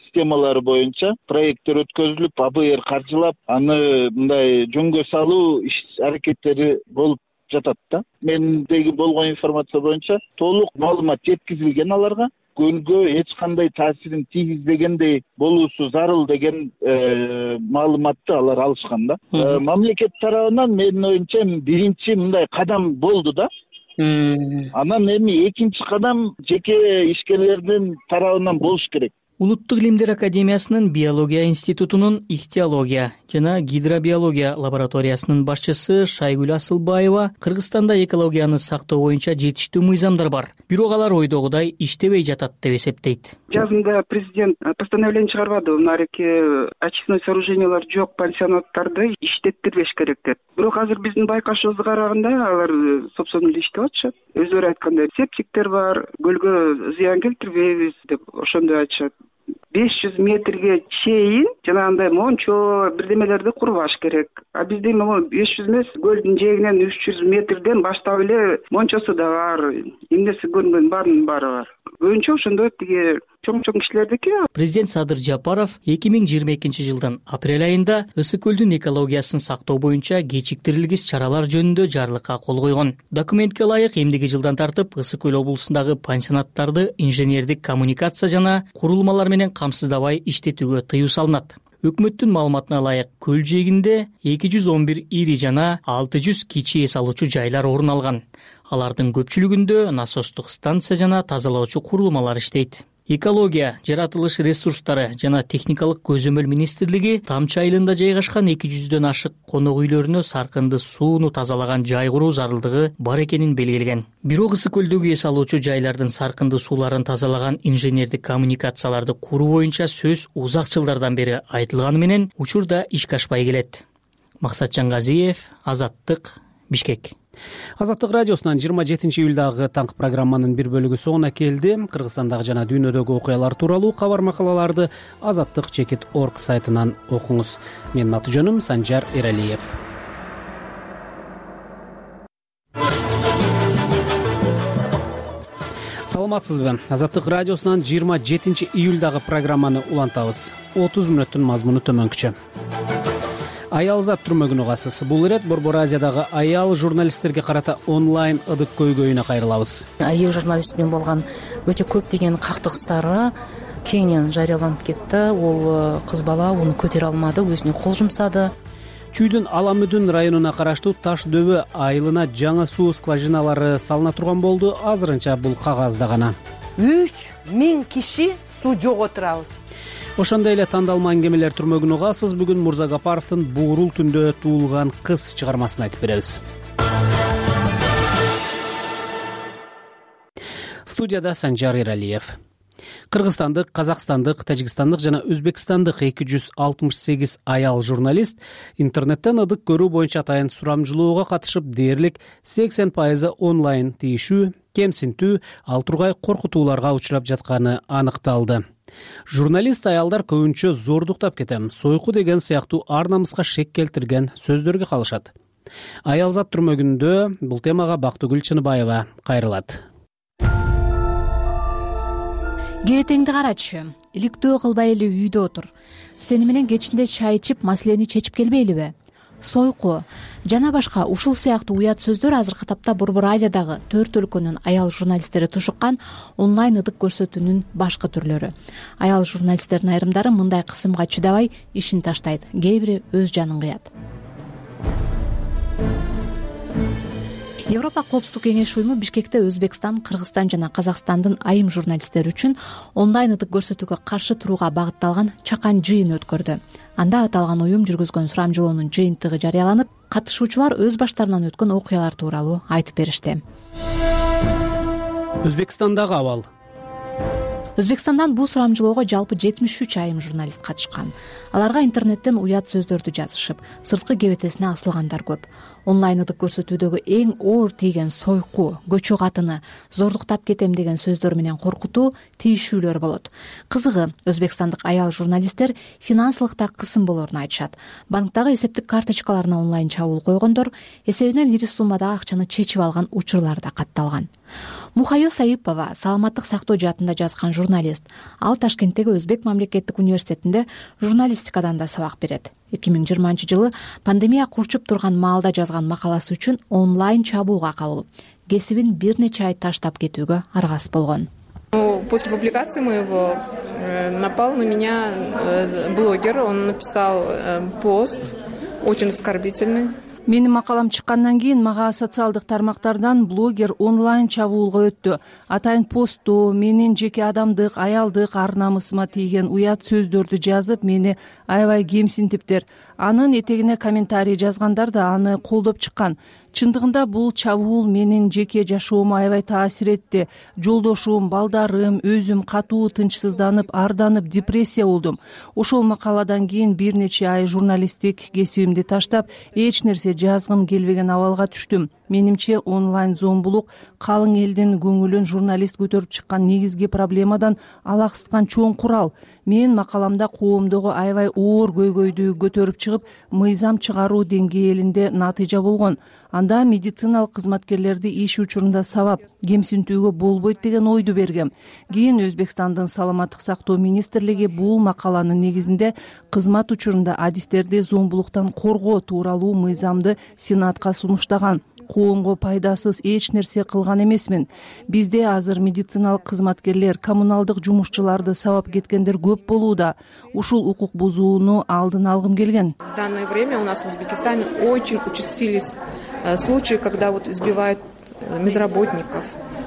системалары боюнча проекттер өткөзүлүп, А Б Р каржылап, аны мындай жөнгө салуу иш аракеттери болуп жатат да. Мендеги болгон информация боюнча толук маалымат жеткизилген аларга. Көлгө эч кандай таасирин тийгизбегендей болуусу зарыл деген маалыматты алар алышкан да. Мамлекет тарабынан менин оюмча биринчи мындай кадам болду да. Анан эми экинчи кадам жеке ишкерлердин тарабынан болуш керек. Улуттук илимдер академиясынын биология институтунун ихтиология жана гидробиология лабораториясынын башчысы Шайгүл Асылбаева Кыргызстанда экологияны сактоо боюнча жетиштүү мыйзамдар бар. Бирок алар ойдогудай иштебей жатат деп эсептейт. Жазында президент постановление чыгарбады. Мынарки очистной сооружениялар жок пансионаттарды иштеттирбеш керек деп. Бирок азыр биздин байкашыбызга караганда алар собственно эле иштеп атышат. Өздөрү айткандай септиктер бар, көлгө зыян келтирбейбиз деп ошондой айтышат. беш жүз метрге чейин жанагындай мончо бирдемелерди курбаш керек. А бизде могу беш жүз эмес, көлдүн жээгинен үч жүз метрден баштап эле мончосу да бар, эмнеси көрүнгөн баарынын баары бар. көбүнчө ошондо тиги чоң чоң кишилердики. Президент Садыр Жапаров эки миң жыйырма экинчи жылдын апрель айында ысык көлдүн экологиясын сактоо боюнча кечиктирилгис чаралар жөнүндө жарлыкка кол койгон. Документке ылайык эмдиги жылдан тартып ысык көл облусундагы пансионаттарды инженердик коммуникация жана курулмалар менен камсыздабай иштетүүгө тыюу салынат. Өкмөттүн маалыматына ылайык көл жээгинде эки жүз он бир ири жана алты жүз кичи эс алуучу жайлар орун алган. Алардын көпчүлүгүндө насостук станция жана тазалоочу курулмалар иштейт. Экология, жаратылыш ресурстары жана техникалык көзөмөл министрлиги Тамчы айылында жайгашкан эки жүздөн ашык конок үйлөрүнө саркынды сууну тазалаган жай куруу зарылдыгы бар экенин белгилеген. Бирок ысык көлдөгү эс алуучу жайлардын саркынды сууларын тазалаган инженердик коммуникацияларды куруу боюнча сөз узак жылдардан бери айтылганы менен учурда ишке ашпай келет. Максатжан Газиев, Азаттык, Бишкек. Азаттык радиосунан жыйырма жетинчи июлдагы таңкы программанын бир бөлүгү соңуна келди. Кыргызстандагы жана дүйнөдөгү окуялар тууралуу кабар макалаларды азаттык чекит точка орг сайтынан окуңуз. Менин аты жөнүм Санжар Эралиев. Саламатсызбы? Азаттык радиосунан жыйырма жетинчи июлдагы программаны улантабыз. отуз мүнөттүн мазмуну төмөнкүчө. Аялзат түрмөгүнө угасыз. Бул ирет Борбор Азиядагы аял журналисттерге карата онлайн ыдык көйгөйүнө кайрылабыз. Аял журналист менен болгон өтө көптөгөн кактыгыстары кеңинен жарыяланып кетти. Ол кыз бала уну көтөрө алмады, өзүнө кол жумсады. Чүйдүн Аламүдүн районуна караштуу Таш дөбө айылына жаңы суу скважиналары салына турган болду. Азырынча бул кагазда гана. үч миң киши суу жок отурабыз. Ошондой эле тандалма аңгемелер түрмөгүнө угасыз. Бүгүн Мурза Гапаровдун Буурул түндө туулган кыз чыгармасын айтып беребиз. Студияда Санжар Эралиев. Кыргызстандык, казакстандык, тажикстандык жана өзбекстандык эки жүз алтымыш сегиз аял журналист интернеттен ыдык көрүү боюнча атайын сурамжылоого катышып, дээрлик сексен пайызы онлайн тийишүү, кемсинтүү, ал тургай коркутууларга учурап жатканы аныкталды. Журналист аялдар көбүнчө зордуктап кетем, сойку деген сыяктуу ар намыска шек келтирген сөздөргө калышат. Аялзат түрмөгүндө бул темага Бактыгүл Чыныбаева кайрылат. Кебетеңди карачы, иликтөө кылбай эле үйдө отур. Сени менен кечинде чай ичип, маселени чечип келбейлиби? Сойку жана башка ушул сыяктуу уят сөздөр азыркы тапта Борбор Азиядагы төрт өлкөнүн аял журналисттери тушуккан онлайн ыдык көрсөтүүнүн башкы түрлөрү. Аял журналисттердин айрымдары мындай кысымга чыдабай ишин таштайт, кээ бири өз жанын кыят. Европа коопсуздук кеңеши уюму Бишкекте Өзбекстан, Кыргызстан жана Казакстандын айым журналисттери үчүн онлайн ыдык көрсөтүүгө каршы турууга багытталган чакан жыйын өткөрдү. Анда аталган уюм жүргүзгөн сурамжылоонун жыйынтыгы жарыяланып, катышуучулар өз баштарынан өткөн окуялар тууралуу айтып беришти. Өзбекстандагы абал. Өзбекстандан бул сурамжылоого жалпы жетимиш үч айым журналист катышкан. Аларга интернеттен уят сөздөрдү жазышып, сырткы кебетесине асылгандар көп. Онлайн ыдык көрсөтүүдөгү эң оор тийген сойку, көчү катыны, зордуктап кетем деген сөздөр менен коркутуу, тийишүүлөр болот. Кызыгы, өзбекстандык аял журналисттер финансылыкта кысым болоорун айтышат. Банктагы эсептик карточкаларына онлайн чабуул койгондор, эсебинен ири суммадагы акчаны чечип алган учурлар да катталган. Мухайо Саипова саламаттык сактоо жаатында жазган журналист. Ал Ташкенттеги Өзбек мамлекеттик университетинде журналистикадан да сабак берет. эки миң жыйырманчы жылы пандемия курчуп турган маалда жазган макаласы үчүн онлайн чабуулга кабылып, кесибин бир нече ай таштап кетүүгө аргасыз болгон. После публикации моего напал на меня блогер, он написал пост очень оскорбительный. Менин макалам чыккандан кийин мага социалдык тармактардан блогер онлайн чабуулга өттү. Атайын постту менин жеке адамдык, аялдык ар намысыма тийген уят сөздөрдү жазып, мени аябай кемсинтиптир. Анын этегине комментарий жазгандар да аны колдоп чыккан. Чындыгында бул чабуул менин жеке жашоомо аябай таасир этти. Жолдошум, балдарым, өзүм катуу тынчсызданып, арданып, депрессия болдум. Ошол макаладан кийин бир нече ай журналисттик кесибимди таштап, эч нерсе жазгым келбеген абалга түштүм. менимче онлайн зомбулук калың элдин көңүлүн журналист көтөрүп чыккан негизги проблемадан алаксыткан чоң курал. Мен макаламда коомдогу аябай оор көйгөйдү көтөрүп чыгып, мыйзам чыгаруу деңгээлинде натыйжа болгон. Анда медициналык кызматкерлерди иш учурунда сабап, кемсинтүүгө болбойт деген ойду бергем. Кийин Өзбекстандын саламаттык сактоо министрлиги бул макаланын негизинде кызмат учурунда адистерди зомбулуктан коргоо тууралуу мыйзамды Сенатка сунуштаган. Коомго пайдасыз эч нерсе кылган эмесмин. Бизде азыр медициналык кызматкерлер, коммуналдык жумушчуларды сабап кеткендер көп болууда. Ушул укук бузууну алдын алгым келген. В данное время у нас в Узбекистане очень участились случаи, когда вот избивают медработников,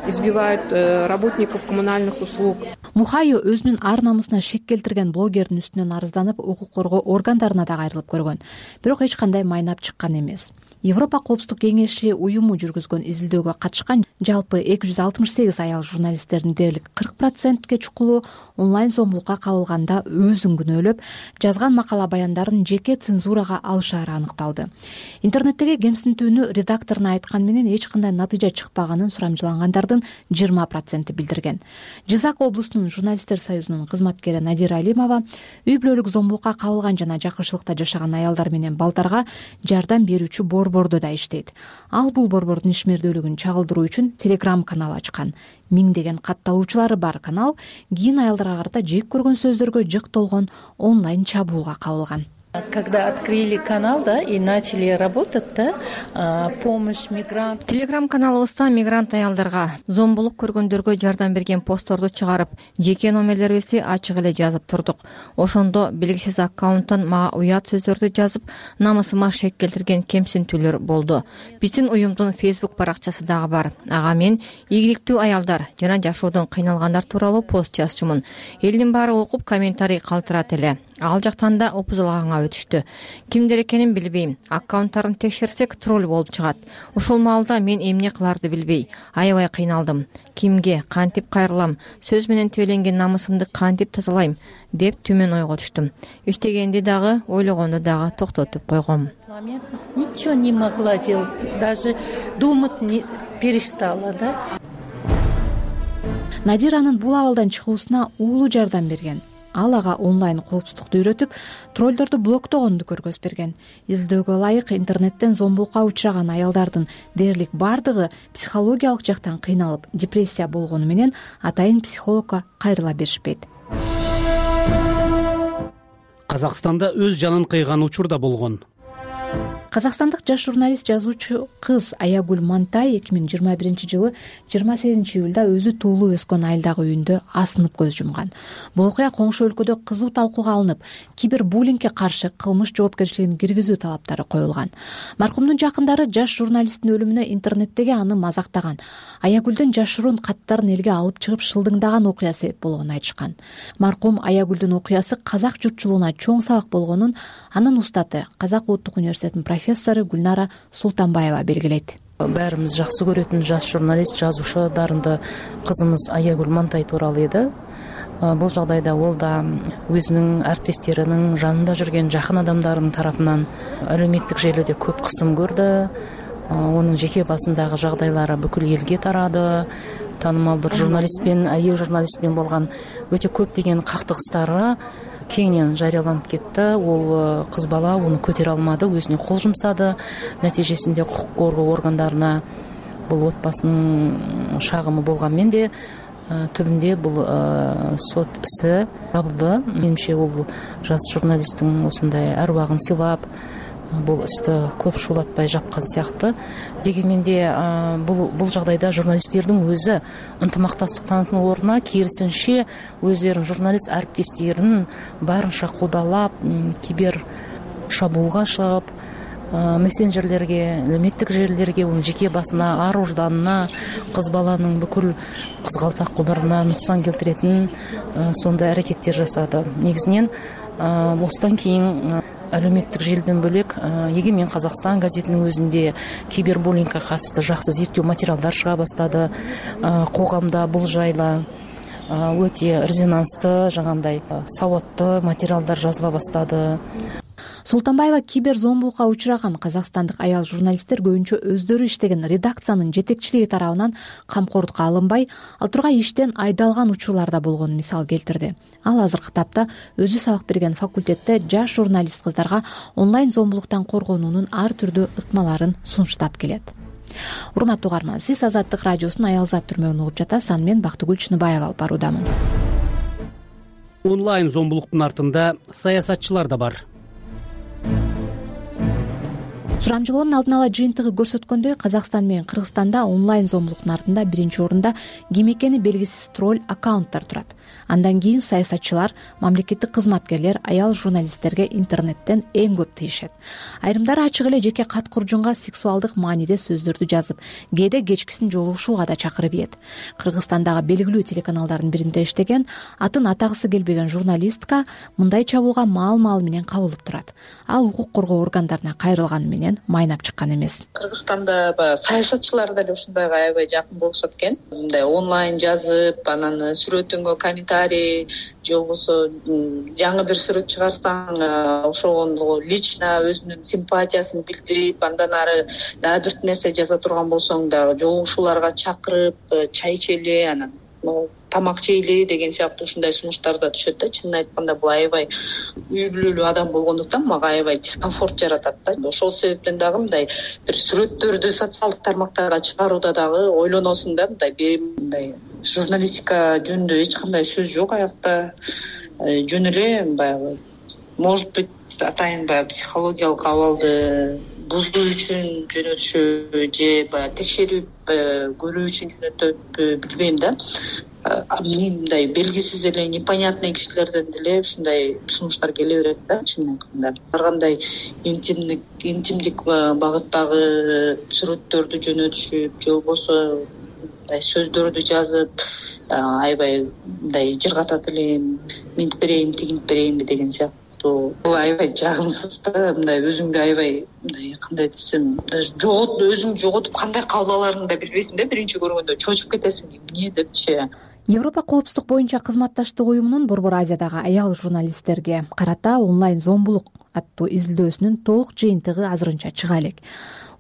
избивают работников коммунальных услуг. Мухайо өзүнүн ар намысына шек келтирген блогердин үстүнөн арызданып, укук коргоо органдарына да кайрылып көргөн. Бирок эч кандай майнап чыккан эмес. Европа коопсуздук кеңеши уюму жүргүзгөн изилдөөгө катышкан жалпы эки жүз алтымыш сегиз аял журналисттердин дээрлик кырк процентке чукулу онлайн зомбулукка кабылганда өзүн күнөөлөп, жазган макала баяндарын жеке цензурага алышаары аныкталды. Интернеттеги кемсинтүүнү редакторуна айткан менен эч кандай натыйжа чыкпаганын сурамжылангандардын жыйырма проценти билдирген. Жизак облустунун журналисттер союзунун кызматкери Надира Алимова үй бүлөлүк зомбулукка кабылган жана жакынчылыкта жашаган аялдар менен балдарга жардам берүүчү борбордо да иштейт. Ал бул борбордун ишмердүүлүгүн чагылдыруу үчүн Telegram канал ачкан. Миңдеген катталуучулары бар канал кийин аялдарга карата жек көргөн сөздөргө жык толгон онлайн чабуулга кабылган. Когда открыли канал, да, и начали работать, да, помощь мигрантам. Телеграм каналыбызда мигрант аялдарга, зомбулук көргөндөргө жардам берген постторду чыгарып, жеке номерлерибизди ачык эле жазып турдук. Ошондо белгисиз аккаунттан мага уят сөздөрдү жазып, намысыма шек келтирген кемсинтүүлөр болду. Биздин уюмдун Facebook баракчасы дагы бар. Ага мен ийгиликтүү аялдар жана жашоодон кыйналгандар тууралуу пост жазчумун. Элдин баары окуп комментарий калтырат эле. Ал жактан да опузалганга өтүштү. Кимдер экенин билбейм. Аккаунттарын текшерсек тролль болуп чыгат. Ошол маалда мен эмне кыларды билбей, аябай кыйналдым. Кимге, кантип кайрылам, сөз менен тебеленген намысымды кантип тазалайм деп түмөн ойго түштүм. Иштегенди дагы, ойлогонду дагы токтотуп койгом. Ничего не могла делать, даже думать не перестала, да? Надиранын бул абалдан чыгуусуна уулу жардам берген. Ал ага онлайн коопсуздукту үйрөтүп, троллдорду блоктогонду көргөзүп берген. Изилдөөгө ылайык интернеттен зомбулукка учураган аялдардын дээрлик бардыгы психологиялык жактан кыйналып, депрессия болгону менен атайын психологко кайрыла беришпейт. Казакстанда өз жанын кыйган учур да болгон. Казакстандык жаш журналист жазуучу кыз Аягүл Мантай эки миң жыйырма биринчи жылы жыйырма сегизинчи июлда өзү туулуп өскөн айылдагы үйүндө асынып көз жумган. Бул окуя коңшу өлкөдө кызуу талкууга алынып, кибербуллингге каршы кылмыш жоопкерчилигин киргизүү талаптары коюлган. Маркумдун жакындары жаш журналисттин өлүмүнө интернеттеги аны мазактаган, Аягүлдүн жашыруун каттарын элге алып чыгып шылдыңдаган окуя себеп болгонун айтышкан. Маркум Аягүлдүн окуясы казак журтчулугуна чоң сабак болгонун анын устаты, Казак улуттук университетинин профессору Гүлнара Султанбаева белгилейт. Баарыбыз жакшы көрөтүн жаш журналист, жазуучу, дарынды кызымыз Аягүл Мантай тууралуу эди. Бул жагдайда ол да өзүнүн әріптестерінің жанында жүрген жакын адамдарынын тарапынан әлеуметтик желіде көп кысым көрдү. Онун жеке басындагы жагдайлары бүкүл элге тарады. Таанымал бир журналистпен, айыл журналистпен болгон өтө көп деген кактыгыстары кеңинен жарыяланып кетти. Ол кыз бала уну көтөрө алмады, өзүнө кол жумсады. Натыйжесинде укук коргоо органдарына бул отбасынын шагымы болгон менде түбүндө бул сот isi жабылды. Менимче бул жаш журналисттин осундай арбагын сыйлап, бул исти көп шуулатпай жапкан сыяктуу. Дегенмен де бул бул жагдайда журналисттердин өзү ынтымактастык танытуу ордуна кийинче өздөрүнүн журналист арбиттестерин барынча куудалап, кибер шабуулга чыгып, мессенджерлерге, әлеуметтик желилерге, унун жеке басына, ар ожданына, кыз баланын бүкүл кызгалтак кубарына нуксан келтиретін сондай аракеттер жасады. Негизинен осудан кийин әлеуметтик желден бөлек Егемен Казакстан газетинин өзүндө кибербуллингге катысты жакшы зерттөө материалдар чыга баштады. Коомдо бул жайла өтө резонанстуу, жагандай сауаттуу материалдар жазыла баштады. Султанбаева кибер зомбулукка учураган казакстандык аял журналисттер көбүнчө өздөрү иштеген редакциянын жетекчилиги тарабынан камкордукка алынбай, ал тургай иштен айдалган учурларда болгонун мисал келтирди. Ал азыркы тапта өзү сабак берген факультетте жаш журналист кыздарга онлайн зомбулуктан коргонуунун ар түрдүү ыкмаларын сунуштап келет. Урматтуу угарман, сиз Азаттык радиосунун Аялзат түрмөгүн угуп жатасыз. Аны мен Бактыгүл Чыныбаева алып баруудамын. Онлайн зомбулуктун артында саясатчылар да бар. Сурамжылоонун алдын ала жыйынтыгы көрсөткөндөй, Казакстан менен Кыргызстанда онлайн зомбулуктун артында биринчи орунда ким экени белгисиз тролль аккаунттар турат. Андан кийин саясатчылар, мамлекеттик кызматкерлер аял журналисттерге интернеттен эң көп тийишет. Айрымдары ачык эле жеке кат куржунга сексуалдык мааниде сөздөрдү жазып, кээде кечкисин жолугушууга да чакырып ийет. Кыргызстандагы белгилүү телеканалдардын биринде иштеген, атын атагысы келбеген журналистка мындай чабуулга маал-маал менен кабылып турат. Ал укук коргоо органдарына кайрылганы менен майнап чыккан эмес. Кыргызстанда саясатчылар да ушундайга аябай жакын болушат экен. Мындай онлайн жазып, анан сүрөтүңө комментарий же болбосо жаңы бир сүрөт чыгарсаң, ошого лично өзүнүн симпатиясын билдирип, андан ары дагы бир нерсе жаза турган болсоң дагы жолугушууларга чакырып, чай ичели, анан тамак жейли деген сыяктуу ушундай сунуштар да түшөт да. Чынын айтканда бул аябай үй бүлөлүү адам болгондуктан мага аябай дискомфорт жаратат да. Ошол себептен дагы мындай бир сүрөттөрдү социалдык тармактарга чыгарууда дагы ойлоносуң да. Мындай мындай журналистика жөнүндө эч кандай сөз жок аякта. Жөн эле баягы может быть атайын баягы психологиялык абалды бузуу үчүн жөнөтүшү же баягы текшерип көрүү үчүн жөнөтөтпү билбейм да. Мен мындай белгисиз эле непонятный кишилерден деле ушундай сунуштар келе берет да. Чынын айтканда ар кандай интимдик интимдик багыттагы сүрөттөрдү жөнөтүшүп же болбосо мындай сөздөрдү жазып, аябай мындай жыргатат элем, минтип берейин, тигинтип берейинби деген сыяктуу. Бул аябай жагымсыз да. Мындай өзүңдү аябай мындай кандай десем, жогот өзүңдү жоготуп кандай кабыл аларыңды да билбейсиң да. Биринчи көргөндө чочуп кетесиң, эмне депчи. Европа коопсуздук боюнча кызматташтык уюмунун Борбор Азиядагы аял журналисттерге карата онлайн зомбулук аттуу изилдөөсүнүн толук жыйынтыгы азырынча чыга элек.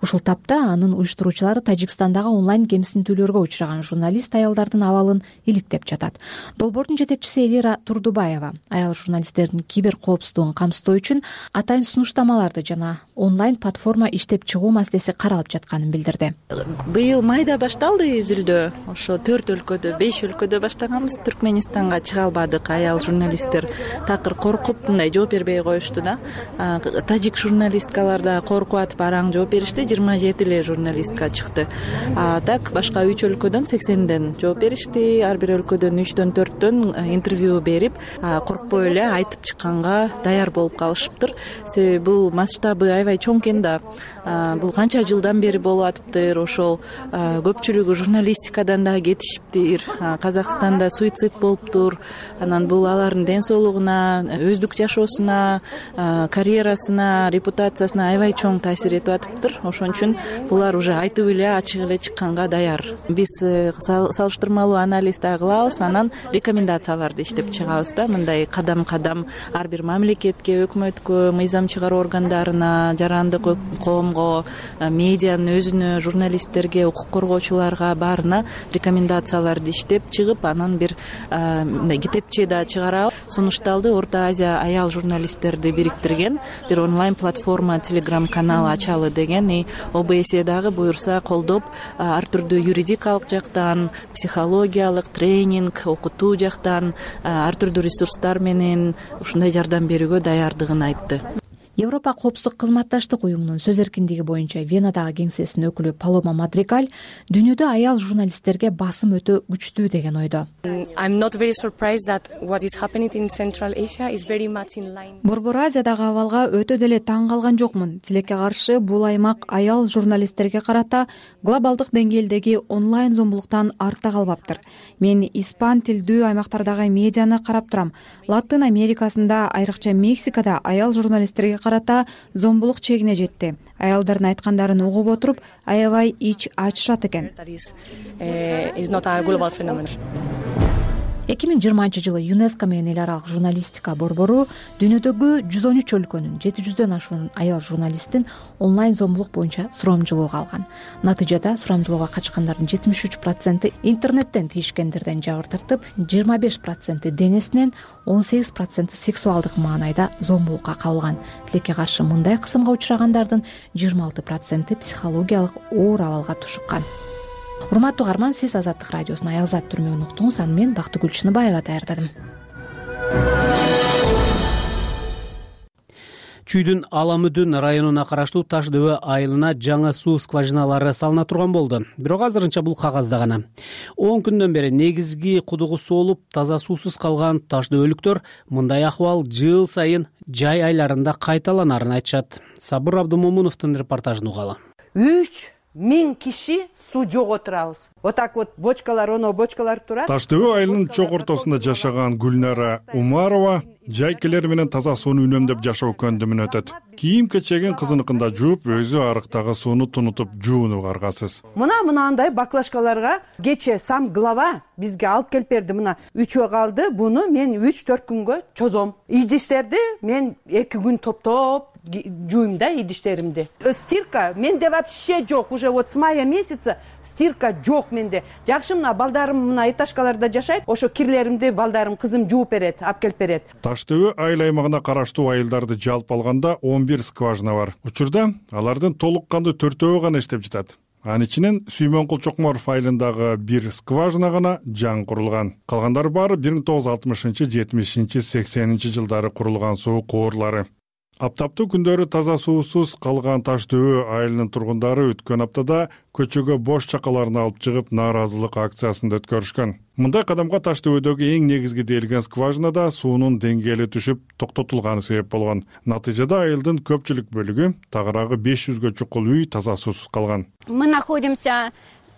Ушул тапта анын уюштуруучулары Тажикстандагы онлайн кемсинтүүлөргө учураган журналист аялдардын абалын иликтеп жатат. Долбоордун жетекчиси Элира Турдубаева аял журналисттердин кибер коопсуздугун камсыздоо үчүн атайын сунуштамаларды жана онлайн платформа иштеп чыгуу маселеси каралып жатканын билдирди. Быйыл майда башталды изилдөө. Ошо төрт өлкөдө, беш өлкөдө баштаганбыз. Түркменистанга чыга албадык. Аял журналисттер такыр коркуп мындай жооп бербей коюшту да. Тажик журналисткалар да коркуп атып араң жооп беришти. жыйырма жети эле журналистка чыкты. А так башка үч өлкөдөн сексенден жооп беришти. Ар бир өлкөдөн үчтөн төрттөн интервью берип, коркпой эле айтып чыкканга даяр болуп калышыптыр. Себеби бул масштабы аябай чоң экен да. Бул канча жылдан бери болуп атыптыр. Ошол көпчүлүгү журналистикадан да кетишиптир. Казакстанда суицид болуптур. Анан бул алардын ден соолугуна, өздүк жашоосуна, карьерасына, репутациясына аябай чоң таасир этип атыптыр. Ошон үчүн булар уже айтып эле ачык эле чыкканга даяр. Биз салыштырмалуу анализ да кылабыз, анан рекомендацияларды иштеп чыгабыз да. Мындай кадам-кадам ар бир мамлекетке, өкмөткө, мыйзам чыгаруу органдарына, жарандык коомго, медианын өзүнө, журналисттерге, укук коргоочуларга баарына рекомендацияларды иштеп чыгып, анан бир мындай китепче да чыгарабыз. Сунушталды. Орто Азия аял журналисттерди бириктирген бир онлайн платформа, телеграм канал ачалы деген. О Б С дагы буюрса колдоп, ар түрдүү юридикалык жактан, психологиялык тренинг, окутуу жактан ар түрдүү ресурстар менен ушундай жардам берүүгө даярдыгын айтты. Европа коопсуздук кызматташтык уюмунун сөз эркиндиги боюнча Венадагы кеңсесинин өкүлү Палома Мадригал дүйнөдө аял журналисттерге басым өтө күчтүү деген ойдо. Борбор Азиядагы абалга өтө деле таң калган жокмун. Тилекке каршы бул аймак аял журналисттерге карата глобалдык деңгээлдеги онлайн зомбулуктан артта калбаптыр. Мен испан тилдүү аймактардагы медианы карап турам. Латын Америкасында, айрыкча Мексикада аял журналисттерге карата зомбулук чегине жетти. Аялдардын айткандарын угуп отуруп, аябай ич ачышат экен. эки миң жыйырманчы жылы юнеско менен эл аралык журналистика борбору дүйнөдөгү жүз он үч өлкөнүн жети жүздөн ашуун аял журналистин онлайн зомбулук боюнча сурамжылоого алган. Натыйжада сурамжылоого катышкандардын жетимиш үч проценти интернеттен тийишкендерден жабыр тартып, жыйырма беш проценти денесинен, он сегиз проценти сексуалдык маанайда зомбулукка кабылган. Тилекке каршы мындай кысымга учурагандардын жыйырма алты проценти психологиялык оор абалга тушуккан. Урматтуу угарман, сиз Азаттык радиосунун Аялзат түрмөгүн уктуңуз. Аны мен Бактыгүл Чыныбаева даярдадым. Чүйдүн Аламүдүн районуна караштуу Таш дөбө айылына жаңы суу скважиналары салына турган болду. Бирок азырынча бул кагазда гана. он күндөн бери негизги кудугу соолуп, таза суусуз калган Таш дөбөлүктөр мындай акыбал жыл сайын жай айларында кайталанарын айтышат. Сабыр Абдымомуновдун репортажын угалы. үч миң киши суу жоготурабыз. Вот так вот бочкалар, оно бочкалар турат. Таш дөбө айылынын чок ортосунда жашаган Гүлнара Умарова жайкелер менен таза сууну үнөмдөп жашоо көндүмүн өтөт. Кийим кечегин кызыныкында жууп, өзү арыктагы сууну тунутуп жуунуп аргасыз. Мына мынандай баклажкаларга кече сам глава бизге алып келип берди. Мына үчөө калды. Буну мен үч төрт күнгө чозом. Идиштерди мен эки күн топтоп жуйм да идиштеримди. Стирка менде вообще жок. Уже вот с мая месяца стирка жок менде. Жакшы мына балдарым мына этажкаларда жашайт. Ошо кирлеримди балдарым, кызым жууп берет, алып келип берет. Таш дөбө айыл аймагына караштуу айылдарды жалпы алганда он бир скважина бар. Учурда алардын толук кандуу төртөө гана иштеп жатат. Анын ичинен Сүймөнкул Чокморов айылындагы бир скважина гана жаңы курулган. Калгандары баары бир миң тогуз жүз алтымышынчы, жетимишинчи, сексенинчи жылдары курулган суу куурлары. Аптаптуу күндөрү таза суусуз калган Таш дөбө айылынын тургундары өткөн аптада көчөгө бош чакаларын алып чыгып нааразылык акциясын өткөрүшкөн. Мындай кадамга Таш дөбөдөгү эң негизги дээлген скважинада суунун деңгээли түшүп токтотулганы себеп болгон. Натыйжада айылдын көпчүлүк бөлүгү, тагыраагы беш жүзгө чукул үй таза суусуз калган. Мы находимся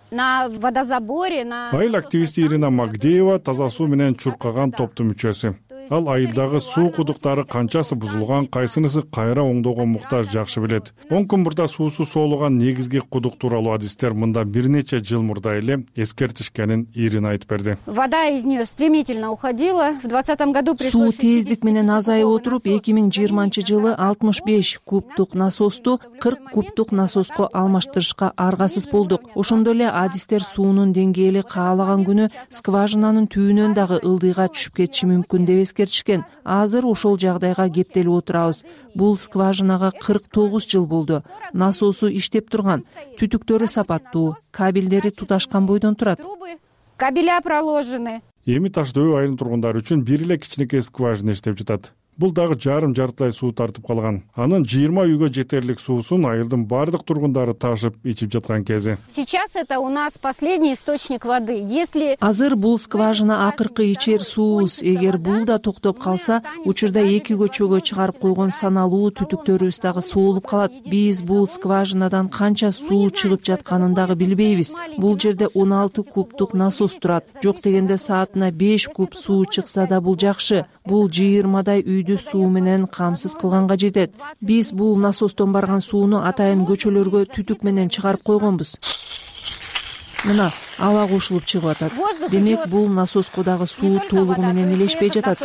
на водозаборе, на Айыл активисти Ирина Магдеева таза суу менен чуркаган топтун мүчөсү. Ал айылдагы суу кудуктары канчасы бузулган, кайсынысы кайра оңдоого муктаж жакшы билет. он күн мурда суусу соолуган негизги кудук тууралуу адистер мында бир нече жыл мурда эле эскертишкенин Ирина айтып берди. Вода из нее стремительно уходила. В двадцатом году пришлось суу тездик менен азайып отуруп, эки миң жыйырманчы жылы алтымыш беш кубтук насосту кырк кубтук насоско алмаштырышка аргасыз болдук. Ошондой эле адистер суунун деңгээли каалаган күнү скважинанын түбүнөн дагы ылдыйга түшүп кетиши мүмкүн деп эскертишкен. Азыр ошол жагдайга кептелип отурабыз. Бул скважинага кырк тогуз жыл болду. Насосу иштеп турган, түтүктөрү сапаттуу, кабелдери туташкан бойдон турат. Кабеля проложены. Эми Таш дөбө айылынын тургундары үчүн бир эле кичинекей скважина иштеп жатат. Бул дагы жарым жартылай суу тартып калган. Анын жыйырма үйгө жетерлик суусун айылдын бардык тургундары ташып ичип жаткан кези. Сейчас это у нас последний источник воды. Если Азыр бул скважина акыркы ичер суубуз. Эгер бул да токтоп калса, учурда эки көчөгө чыгарып койгон саналуу түтүктөрүбүз дагы соолуп калат. Биз бул скважинадан канча суу чыгып жатканын дагы билбейбиз. Бул жерде он алты кубтук насос турат. Жок дегенде саатына беш куб суу чыкса да бул жакшы. Бул жыйырмадай үй суу менен камсыз кылганга жетет. Биз бул насостон барган сууну атайын көчөлөргө түтүк менен чыгарып койгонбуз. Мына аба кошулуп чыгып атат. Демек бул насоско дагы суу толугу менен элешпей жатат.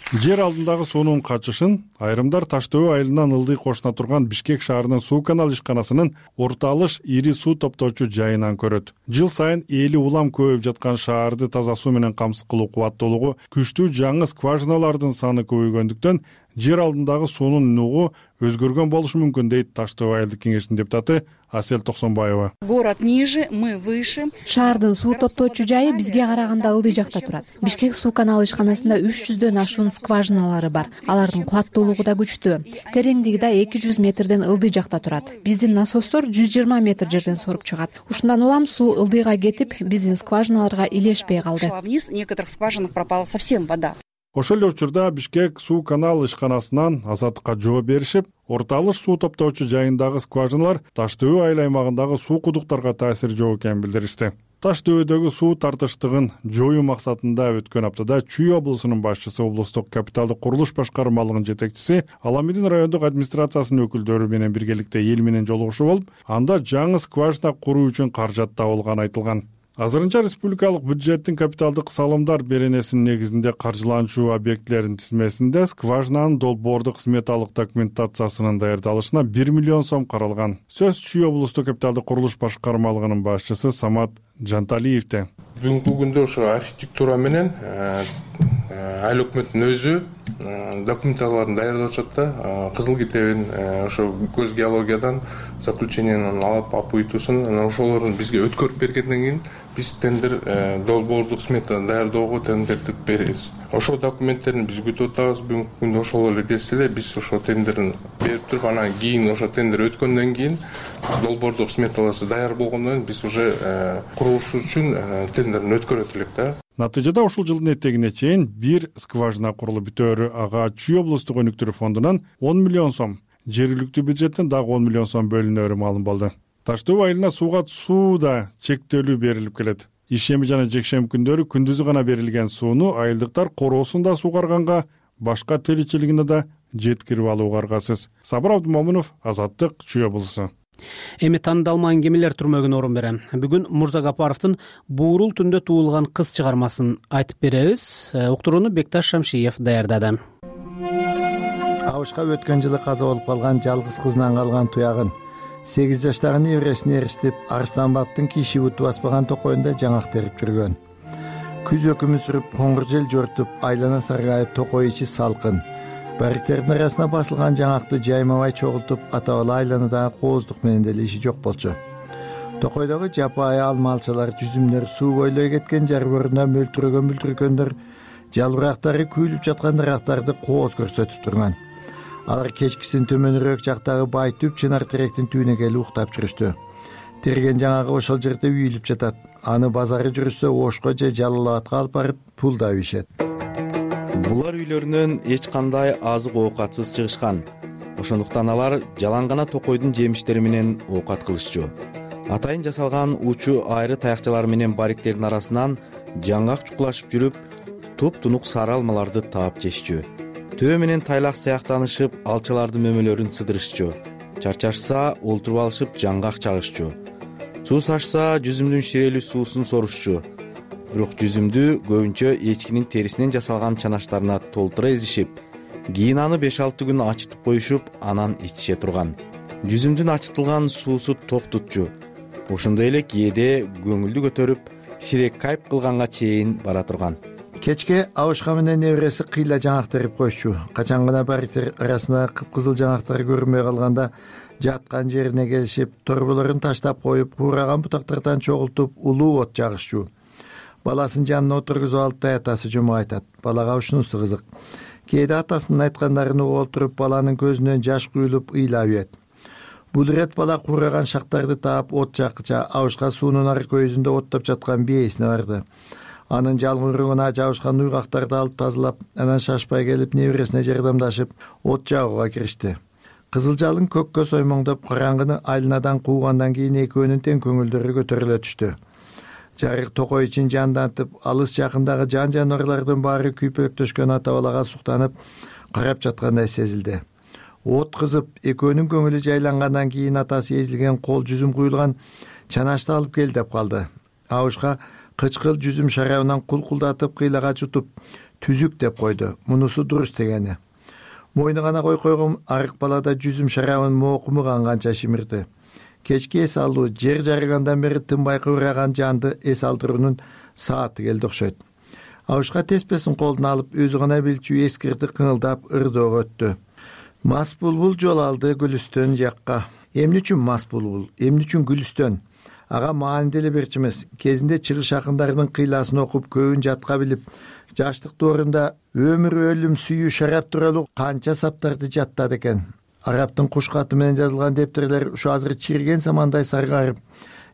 Жер алдындагы суунун качышын айрымдар Таш дөбө айылынан ылдый кошуна турган Бишкек шаарынын суу канал ишканасынын Орто Алыш ири суу топтоочу жайынан көрөт. Жыл сайын эли улам көбөйүп жаткан шаарды таза суу менен камсыз кылуу кубаттуулугу күчтүү жаңы скважиналардын саны көбөйгөндүктөн жер алдындагы суунун нугу өзгөргөн болушу мүмкүн дейт Таш дөбө айылдык кеңешинин депутаты Асель Токсонбаева. Город ниже, мы выше. Шаардын суу топтоочу жайы бизге караганда ылдый жакта турат. Бишкек суу каналы ишканасында үч жүздөн ашуун скважиналары бар. Алардын кубаттуулугу да күчтүү. Тереңдиги да эки жүз метрден ылдый жакта турат. Биздин насостор жүз жыйырма метр жерден соруп чыгат. Ушундан улам суу ылдыйга кетип, биздин скважиналарга илешпей калды. Вниз некоторых скважинах пропала совсем вода. Ошол эле учурда Бишкек суу канал ишканасынан азаттыкка жооп беришип, Орто Алыш суу топтоочу жайындагы скважиналар Таш дөбө айыл аймагындагы суу кудуктарга таасири жок экенин билдиришти. Таш дөбөдөгү суу тартыштыгын жоюу максатында өткөн аптада Чүй облусунун башчысы, облустук капиталдык курулуш башкармалыгынын жетекчиси Аламидин райондук администрациясынын өкүлдөрү менен биргеликте эл менен жолугушуу болуп, анда жаңы скважина куруу үчүн каражат табылганы айтылган. Азырынча республикалык бюджеттин капиталдык салымдар беренесинин негизинде каржыланчу объектилердин тизмесинде скважинанын долбоордук сметалык документациясынын даярдалышына бир миллион сом каралган. Сөз Чүй облустук капиталдык курулуш башкармалыгынын башчысы Самат Жанталиевде. Бүгүнкү күндө ошо архитектура менен айыл өкмөттүн өзү документацияларын даярдап атышат да. Кызыл китебин ошо көз геологиядан заключениянын алып алып уйтуусун анан ошолорун бизге өткөрүп бергенден кийин биз тендер долбоордук смета даярдоого тендерди беребиз. Ошол документтерин биз күтүп атабыз. Бүгүнкү күндө ошол эле келсе эле биз ошо тендерин берип туруп анан кийин ошо тендер өткөндөн кийин долбоордук сметалары даяр болгондон кийин биз уже курулуш үчүн тендерин өткөрөт элек да. Натыйжада ушул жылдын этегине чейин бир скважина курулуп бүтөөрү. Ага Чүй облустук өнүктүрүү фондунан он миллион сом, жергиликтүү бюджеттен дагы он миллион сом бөлүнөөрү маалым болду. Таш төө айылына сууга суу да чектелүү берилип келет. Ишемби жана жекшемби күндөрү күндүзү гана берилген сууну айылдыктар короосунда суугарганга, башка тиричилигине да жеткирип алууга аргасыз. Сабыр Абдымомунов, Азаттык, Чүй облусу. Эми тандалма аңгемелер түрмөгүнө орун берем. Бүгүн Мурзагапаровдун Буурул түндө туулган кыз чыгармасын айтып беребиз. Уктурууну Бекташ Шамшиев даярдады. Абышка өткөн жылы каза болуп калган жалгыз кызынан калган туягын сегиз жаштагы небересине эриштип, Арстанбаптын киши буту баспаган токойунда жаңак терип жүргөн. Күз өкүмү сүрүп, коңур жел жортуп, айлана саргайып, токой ичи салкын. Бариктердин арасына басылган жаңакты жаймабай чогултуп, ата-бала айланадагы кооздук менен деле иши жок болчу. Токойдогу жапайы алмалчалар, жүзүмдөр, суу бойлой кеткен жар борунда мөлтүрөгөн бүлтүркөндөр, жалбырактары күйүлүп жаткан дарактарды кооз көрсөтүп турган. Алар кечкисин төмөнүрөөк жактагы бай түп чынар теректин түбүнө келип уктап жүрүштү. Терген жаңагы ошол жерде үйүлүп жатат. Аны базары жүрүшсө Ошко же Жалал-Абадка алып барып пул да ийишет. Булар үйлөрүнөн эч кандай азык оокатсыз чыгышкан. Ошондуктан алар жалаң гана токойдун жемиштери менен оокат кылышчу. Атайын жасалган учу айры таякчалар менен бариктердин арасынан жаңгак чукулашып жүрүп, туп-тунук сары алмаларды таап жешчү. Төө менен тайлак сыяктанышып, алчалардын мөмөлөрүн сыдырышчу. Чарчашса, олтуруп алышып жаңгак чагышчу. Суу сашса, жүзүмдүн ширелүү суусун сорушчу. Бирок жүзүмдү көбүнчө эчкинин терисинен жасалган чанаштарына толтура эзишип, кийин аны беш алты күн ачытып коюшуп, анан ичише турган. Жүзүмдүн ачытылган суусу ток тутчу. Ошондой эле кээде көңүлдү көтөрүп, ширек кайып кылганга чейин бара турган. Кечке Абышка менен небереси кыйла жаңак терип коюшчу. Качан гана бариктер арасында кыпкызыл жаңактар көрүнбөй калганда, жаткан жерине келишип, торболорун таштап коюп, куураган бутактардан чогултуп, улуу от жагышчу. Баласын жанына отургузуп алып, атасы жомок айтат. Балага ушунусу кызык. Кээде атасынын айткандарын угуп отуруп, баланын көзүнөн жаш куюлуп ыйлап ийет. Бул ирет бала куураган шактарды таап, от жаккыча Абышка суунун ар көйүзүндө оттоп жаткан бээсине барды. Анын жалмыругуна жабышкан уйгактарды алып тазалап, анан шашпай келип небересине жардамдашып, от жагууга киришти. Кызыл жалын көккө соймоңдоп, караңгыны айланадан куугандан кийин экөөнүн тең көңүлдөрү көтөрүлө түштү. Жарык токой ичин жандантып, алыс жакындагы жан жаныбарлардын баары күйпөлөктөшкөн ата-балага суктанып, карап жаткандай сезилди. От кызып, экөөнүн көңүлү жайлангандан кийин атасы эзилген кол жүзүм куюлган чанашты алып кел деп калды. Абышка кычкыл жүзүм шарабынан кулкулдатып, кыйлага чутуп, түзүк деп койду. Мунусу дурус дегени. Мойну гана кой койгон арык балада жүзүм шарабын моокуму канганча шимирди. Кечки эс алуу, жер жарыгандан бери тынбай кыбыраган жанды эс алдыруунун сааты келди окшойт. Абышка теспесин колуна алып, өзү гана билчү эскирди кыңылдап ырдоого өттү. Мас булбул жол алды Гүлүстөн жакка. Эмне үчүн мас булбул, эмне үчүн Гүлүстөн? Ага маани деле берчү эмес. Кезинде чыгыш акындарынын кыйласын окуп, көбүн жатка билип, жаштык доорунда өмүр, өлүм, сүйүү, шарап тууралуу канча саптарды жаттады экен. Арабтын куш каты менен жазылган дептерлер ушу азыр чирген самандай саргайып,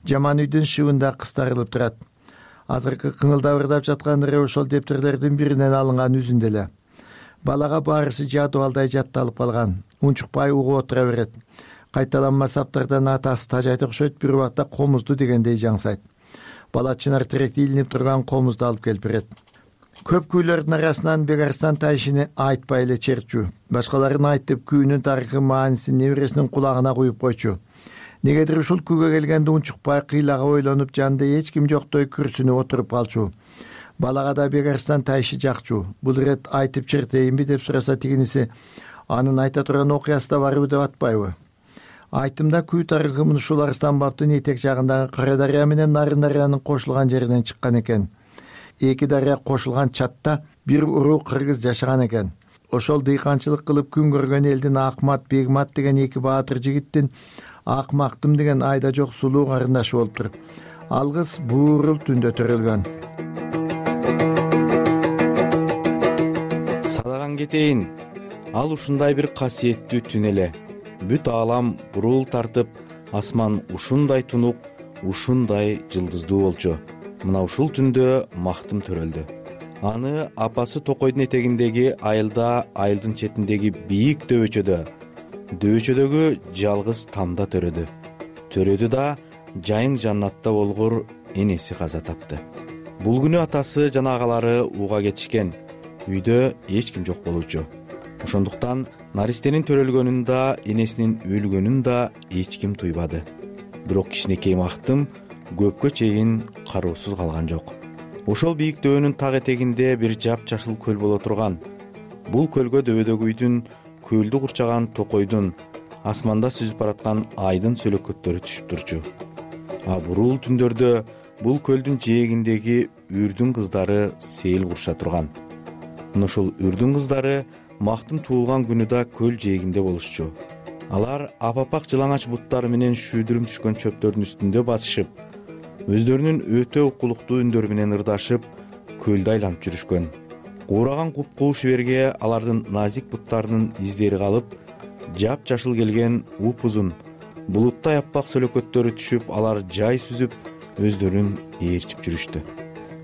жаман үйдүн шыбында кыстарылып турат. Азыркы кыңылдап ырдап жаткан ыры ошол дептерлердин биринен алынган үзүндө эле. Балага баарысы жадыбалдай жатталып калган. Унчукпай угуп отура берет. Кайталанма саптардан атасы тажайт окшойт, бир убакта комузду дегендей жаңсайт. Бала чынар теректи илинип турган комузду алып келип берет. Көп күүлөрдүн арасынан Бегарстан тайшыны айтпай эле черчү. Башкаларын айтып, күүнүн тарыхы маанисин небересинин кулагына куюп койчу. негедир ушул күүгө келгенде унчукпай кыйлага ойлонуп жанында эч ким жоктой күрсүнүп отуруп калчу. Балага да Бегарстан тайшы жакчу. Бул ирет айтып чертейинби деп сураса тигиниси анын айта турган окуясы да барбы деп атпайбы. Айтымда күү тарыхымын ушул Арыстан бабдын этек жагындагы Кара дарыя менен Нарын дарыянын кошулган жеринен чыккан экен. Эки дарыя кошулган чатта бир уруу кыргыз жашаган экен. Ошол дыйканчылык кылып күн көргөн элдин Акмат, Бегмат деген эки баатыр жигиттин Акмактым деген айда жок сулуу карындашы болуптур. Алгыс буурул түндө төрөлгөн. Садаган кетейин. Ал ушундай бир касиеттүү түн эле. Бүт аалам бурул тартып, асман ушундай тунук, ушундай жылдыздуу болчу. Мына ушул түндө Мактым төрөлдү. Аны апасы Токойдун этегиндеги айылда, айылдын четиндеги бийик дөбөчөдө, дөбөчөдөгү жалгыз тамда төрөдү. Төрөдү да жайың жаннатта болгур энеси каза тапты. Бул күнү атасы жана агалары ууга кетишкен. Үйдө эч ким жок болчу. Ошондуктан наристенин төрөлгөнүн да, энесинин өлгөнүн да эч ким туйбады. Бирок кичинекей Мактым көпкө чейин кароосуз калган жок. Ошол бийик дөбөнүн так этегинде бир жапжашыл көл боло турган. Бул көлгө дөбөдөгү үйдүн, көлдү курчаган Токойдун, асманда сүзүп бараткан айдын сөлөкөттөрү түшүп турчу. А бурул түндөрдө бул көлдүн жээгиндеги үрдүн кыздары сейил курша турган. Мына ушул үрдүн кыздары Мактым туулган күнү да көл жээгинде болушчу. Алар апапак жылаңач буттары менен шүйдүрүм түшкөн чөптөрдүн үстүндө басышып, өздөрүнүн өтө укулуктуу үндөрү менен ырдашып, көлдү айланып жүрүшкөн. Куураган куп-кууш берге алардын назик буттарынын издери калып, жапжашыл келген упузун, булуттай аппак сөлөкөттөрү түшүп, алар жай сүзүп, өздөрүн ээрчип жүрүштү.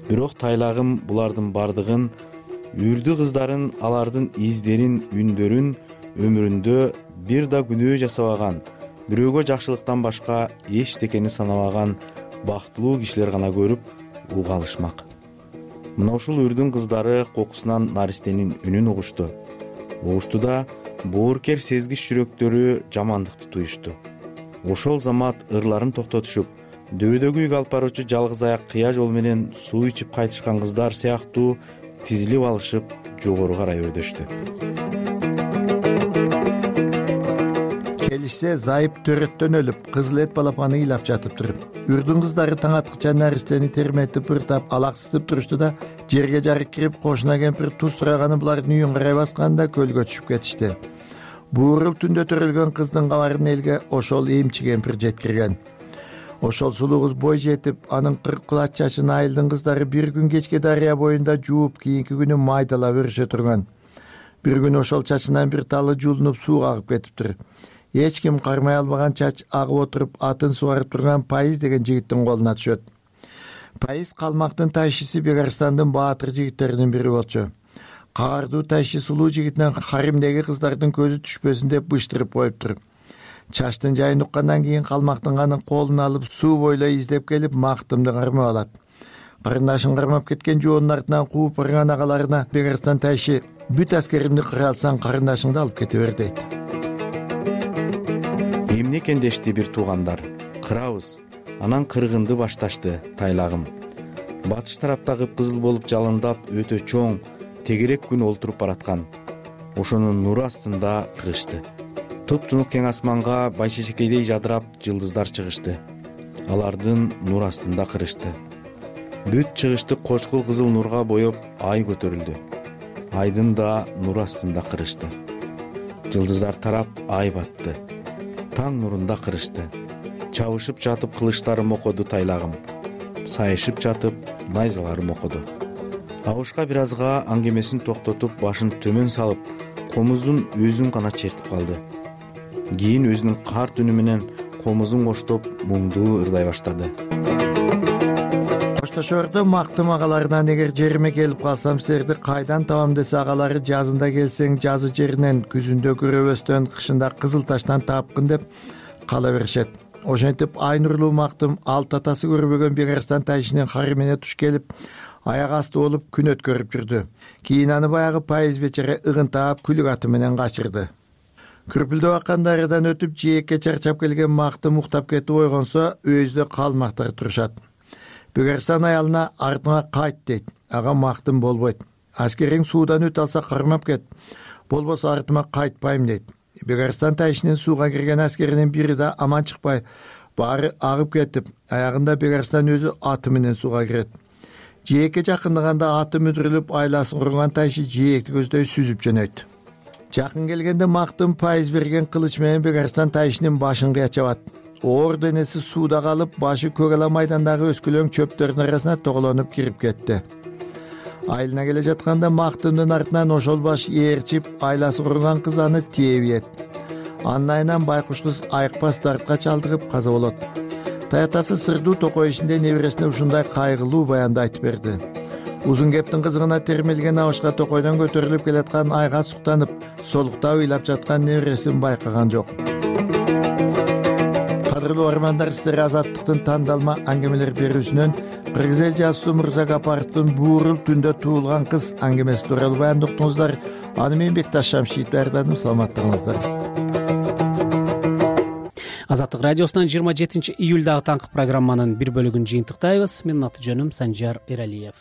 Бирок тайлагым булардын бардыгын, үрдү кыздарын, алардын издерин, үндөрүн өмүрүндө бир да күнөө жасабаган, бирөөгө жакшылыктан башка эчтекени санабаган бактылуу кишилер гана көрүп уга алышмак. Мына ушул үрдүн кыздары кокусунан наристенин үнүн угушту. Угушту да бооркер сезгич жүрөктөрү жамандыкты туюшту. Ошол замат ырларын токтотушуп, дөбөдөгү үйгө алып баруучу жалгыз аяк кыя жол менен суу ичип кайтышкан кыздар сыяктуу тизилип алышып, жогору карай өрдөштү. Келишсе зайып төрөттөн өлүп, кызыл эт балапаны ыйлап жатыптыр. Үрдүн кыздары таң аткыча наристени терметип, ыртап, алаксытып турушту да, жерге жарык кирип, кошуна кемпир туз тураганы булардын үйүн карай басканда көлгө түшүп кетишти. Буурул түндө төрөлгөн кыздын кабарын элге ошол эмчи кемпир жеткирген. Ошол сулуу кыз бой жетип, анын кырк кулач чачын айылдын кыздары бир күн кечке дарыя боюнда жууп, кийинки күнү майдалап өрүшө турган. Бир күнү ошол чачынан бир талы жуулунуп сууга агып кетиптир. Эч ким кармай албаган чач агып отуруп, атын сугарып турган Пайыз деген жигиттин колуна түшөт. Пайыз калмактын тайшысы Бегарстандын баатыр жигиттеринин бири болчу. Каардуу тайшы сулуу жигитинен харимдеги кыздардын көзү түшпөсүн деп быштырып коюптур. Чачтын жайын уккандан кийин калмактын анын колун алып суу бойлой издеп келип Мактымды кармап алат. Карындашын кармап кеткен жоонун артынан кууп барган агаларына Бегарстан тайшы бүт аскеримди кыра алсаң карындашыңды алып кете бер дейт. Эмне экен дешти бир туугандар. Кырабыз. Анан кыргынды башташты тайлагым. Батыш тарапта кыпкызыл болуп жалындап өтө чоң, тегерек күн олтуруп бараткан. Ошонун нуру астында кырышты. Туп-тунук кең асманга байшешекейдей жадырап жылдыздар чыгышты. Алардын нур астында кырышты. Бүт чыгышты кочкул кызыл нурга боеп ай көтөрүлдү. Айдын да нур астында кырышты. Жылдыздар тарап ай батты. Таң нурунда кырышты. Чабышып жатып кылычтары мокоду тайлагым. Сайышып жатып найзалары мокоду. Абышка бир азга аңгемесин токтотуп, башын төмөн салып, комуздун өзүн гана чертип калды. Кийин өзүнүн карт үнү менен комузун коштоп муңдуу ырдай баштады. Коштошордо Мактым агаларынан эгер жериме келип калсам силерди кайдан табам десе, агалары жазында келсең жазы жеринен, күзүндө көрөбөстөн, кышында кызыл таштан таапкын деп кала беришет. Ошентип ай нурлуу Мактым алты атасы көрбөгөн Бегарстан тайшынын харимине туш келип, аяк асты болуп күн өткөрүп жүрдү. Кийин аны баягы Пайыз бечере ыгынтаап күлүк аты менен качырды. күрпүлдөп аккан дарыядан өтүп жээкке чарчап келген мактым уктап кетип ойгонсо өзүдө калмактар турушат. Бөгөрстан аялына артыңа кайт дейт. Ага мактым болбойт. Аскериң суудан өтө алса кармап кет. Болбосо артыма кайтпайм дейт. Бөгөрстан тайшынын сууга кирген аскеринин бири да аман чыкпай баары агып кетип, аягында Бөгөрстан өзү аты менен сууга кирет. Жээкке жакындаганда аты мүдүрүлүп, айласын курган тайшы жээкти көздөй сүзүп жөнөйт. Жакын келгенде мактым пайыз берген кылыч менен Бөгөрстан тайшынын башын кыячабат. Оор денеси сууда калып, башы көк ала майдандагы өскөлөң чөптөрдүн арасына тоголонуп кирип кетти. Айылына келе жатканда мактымдын артынан ошол баш ээрчип, айласы курган кыз аны тээбиет. Анын айынан байкуш кыз айыкпас дартка чалдыгып каза болот. Таятасы сырдуу токой ишинде небересине ушундай кайгылуу баянды айтып берди. Узун кептин кызыгына термелген абышка токойдон көтөрүлүп келаткан айга суктанып, солуктап ыйлап жаткан небересин байкаган жок. Кадырлуу армандар, сиздер Азаттыктын тандалма аңгемелер берүүсүнөн Кыргыз эл жазуусу Мурза Гапаровдун Буурул түндө туулган кыз аңгемеси тууралуу баянды уктуңуздар. Аны мен Бекташ Шамшиев даярдадым. Саламаттыгыңыздар. Азаттык радиосунан жыйырма жетинчи июлдагы таңкы программанын бир бөлүгүн жыйынтыктайбыз. Менин аты жөнүм Санжар Эралиев.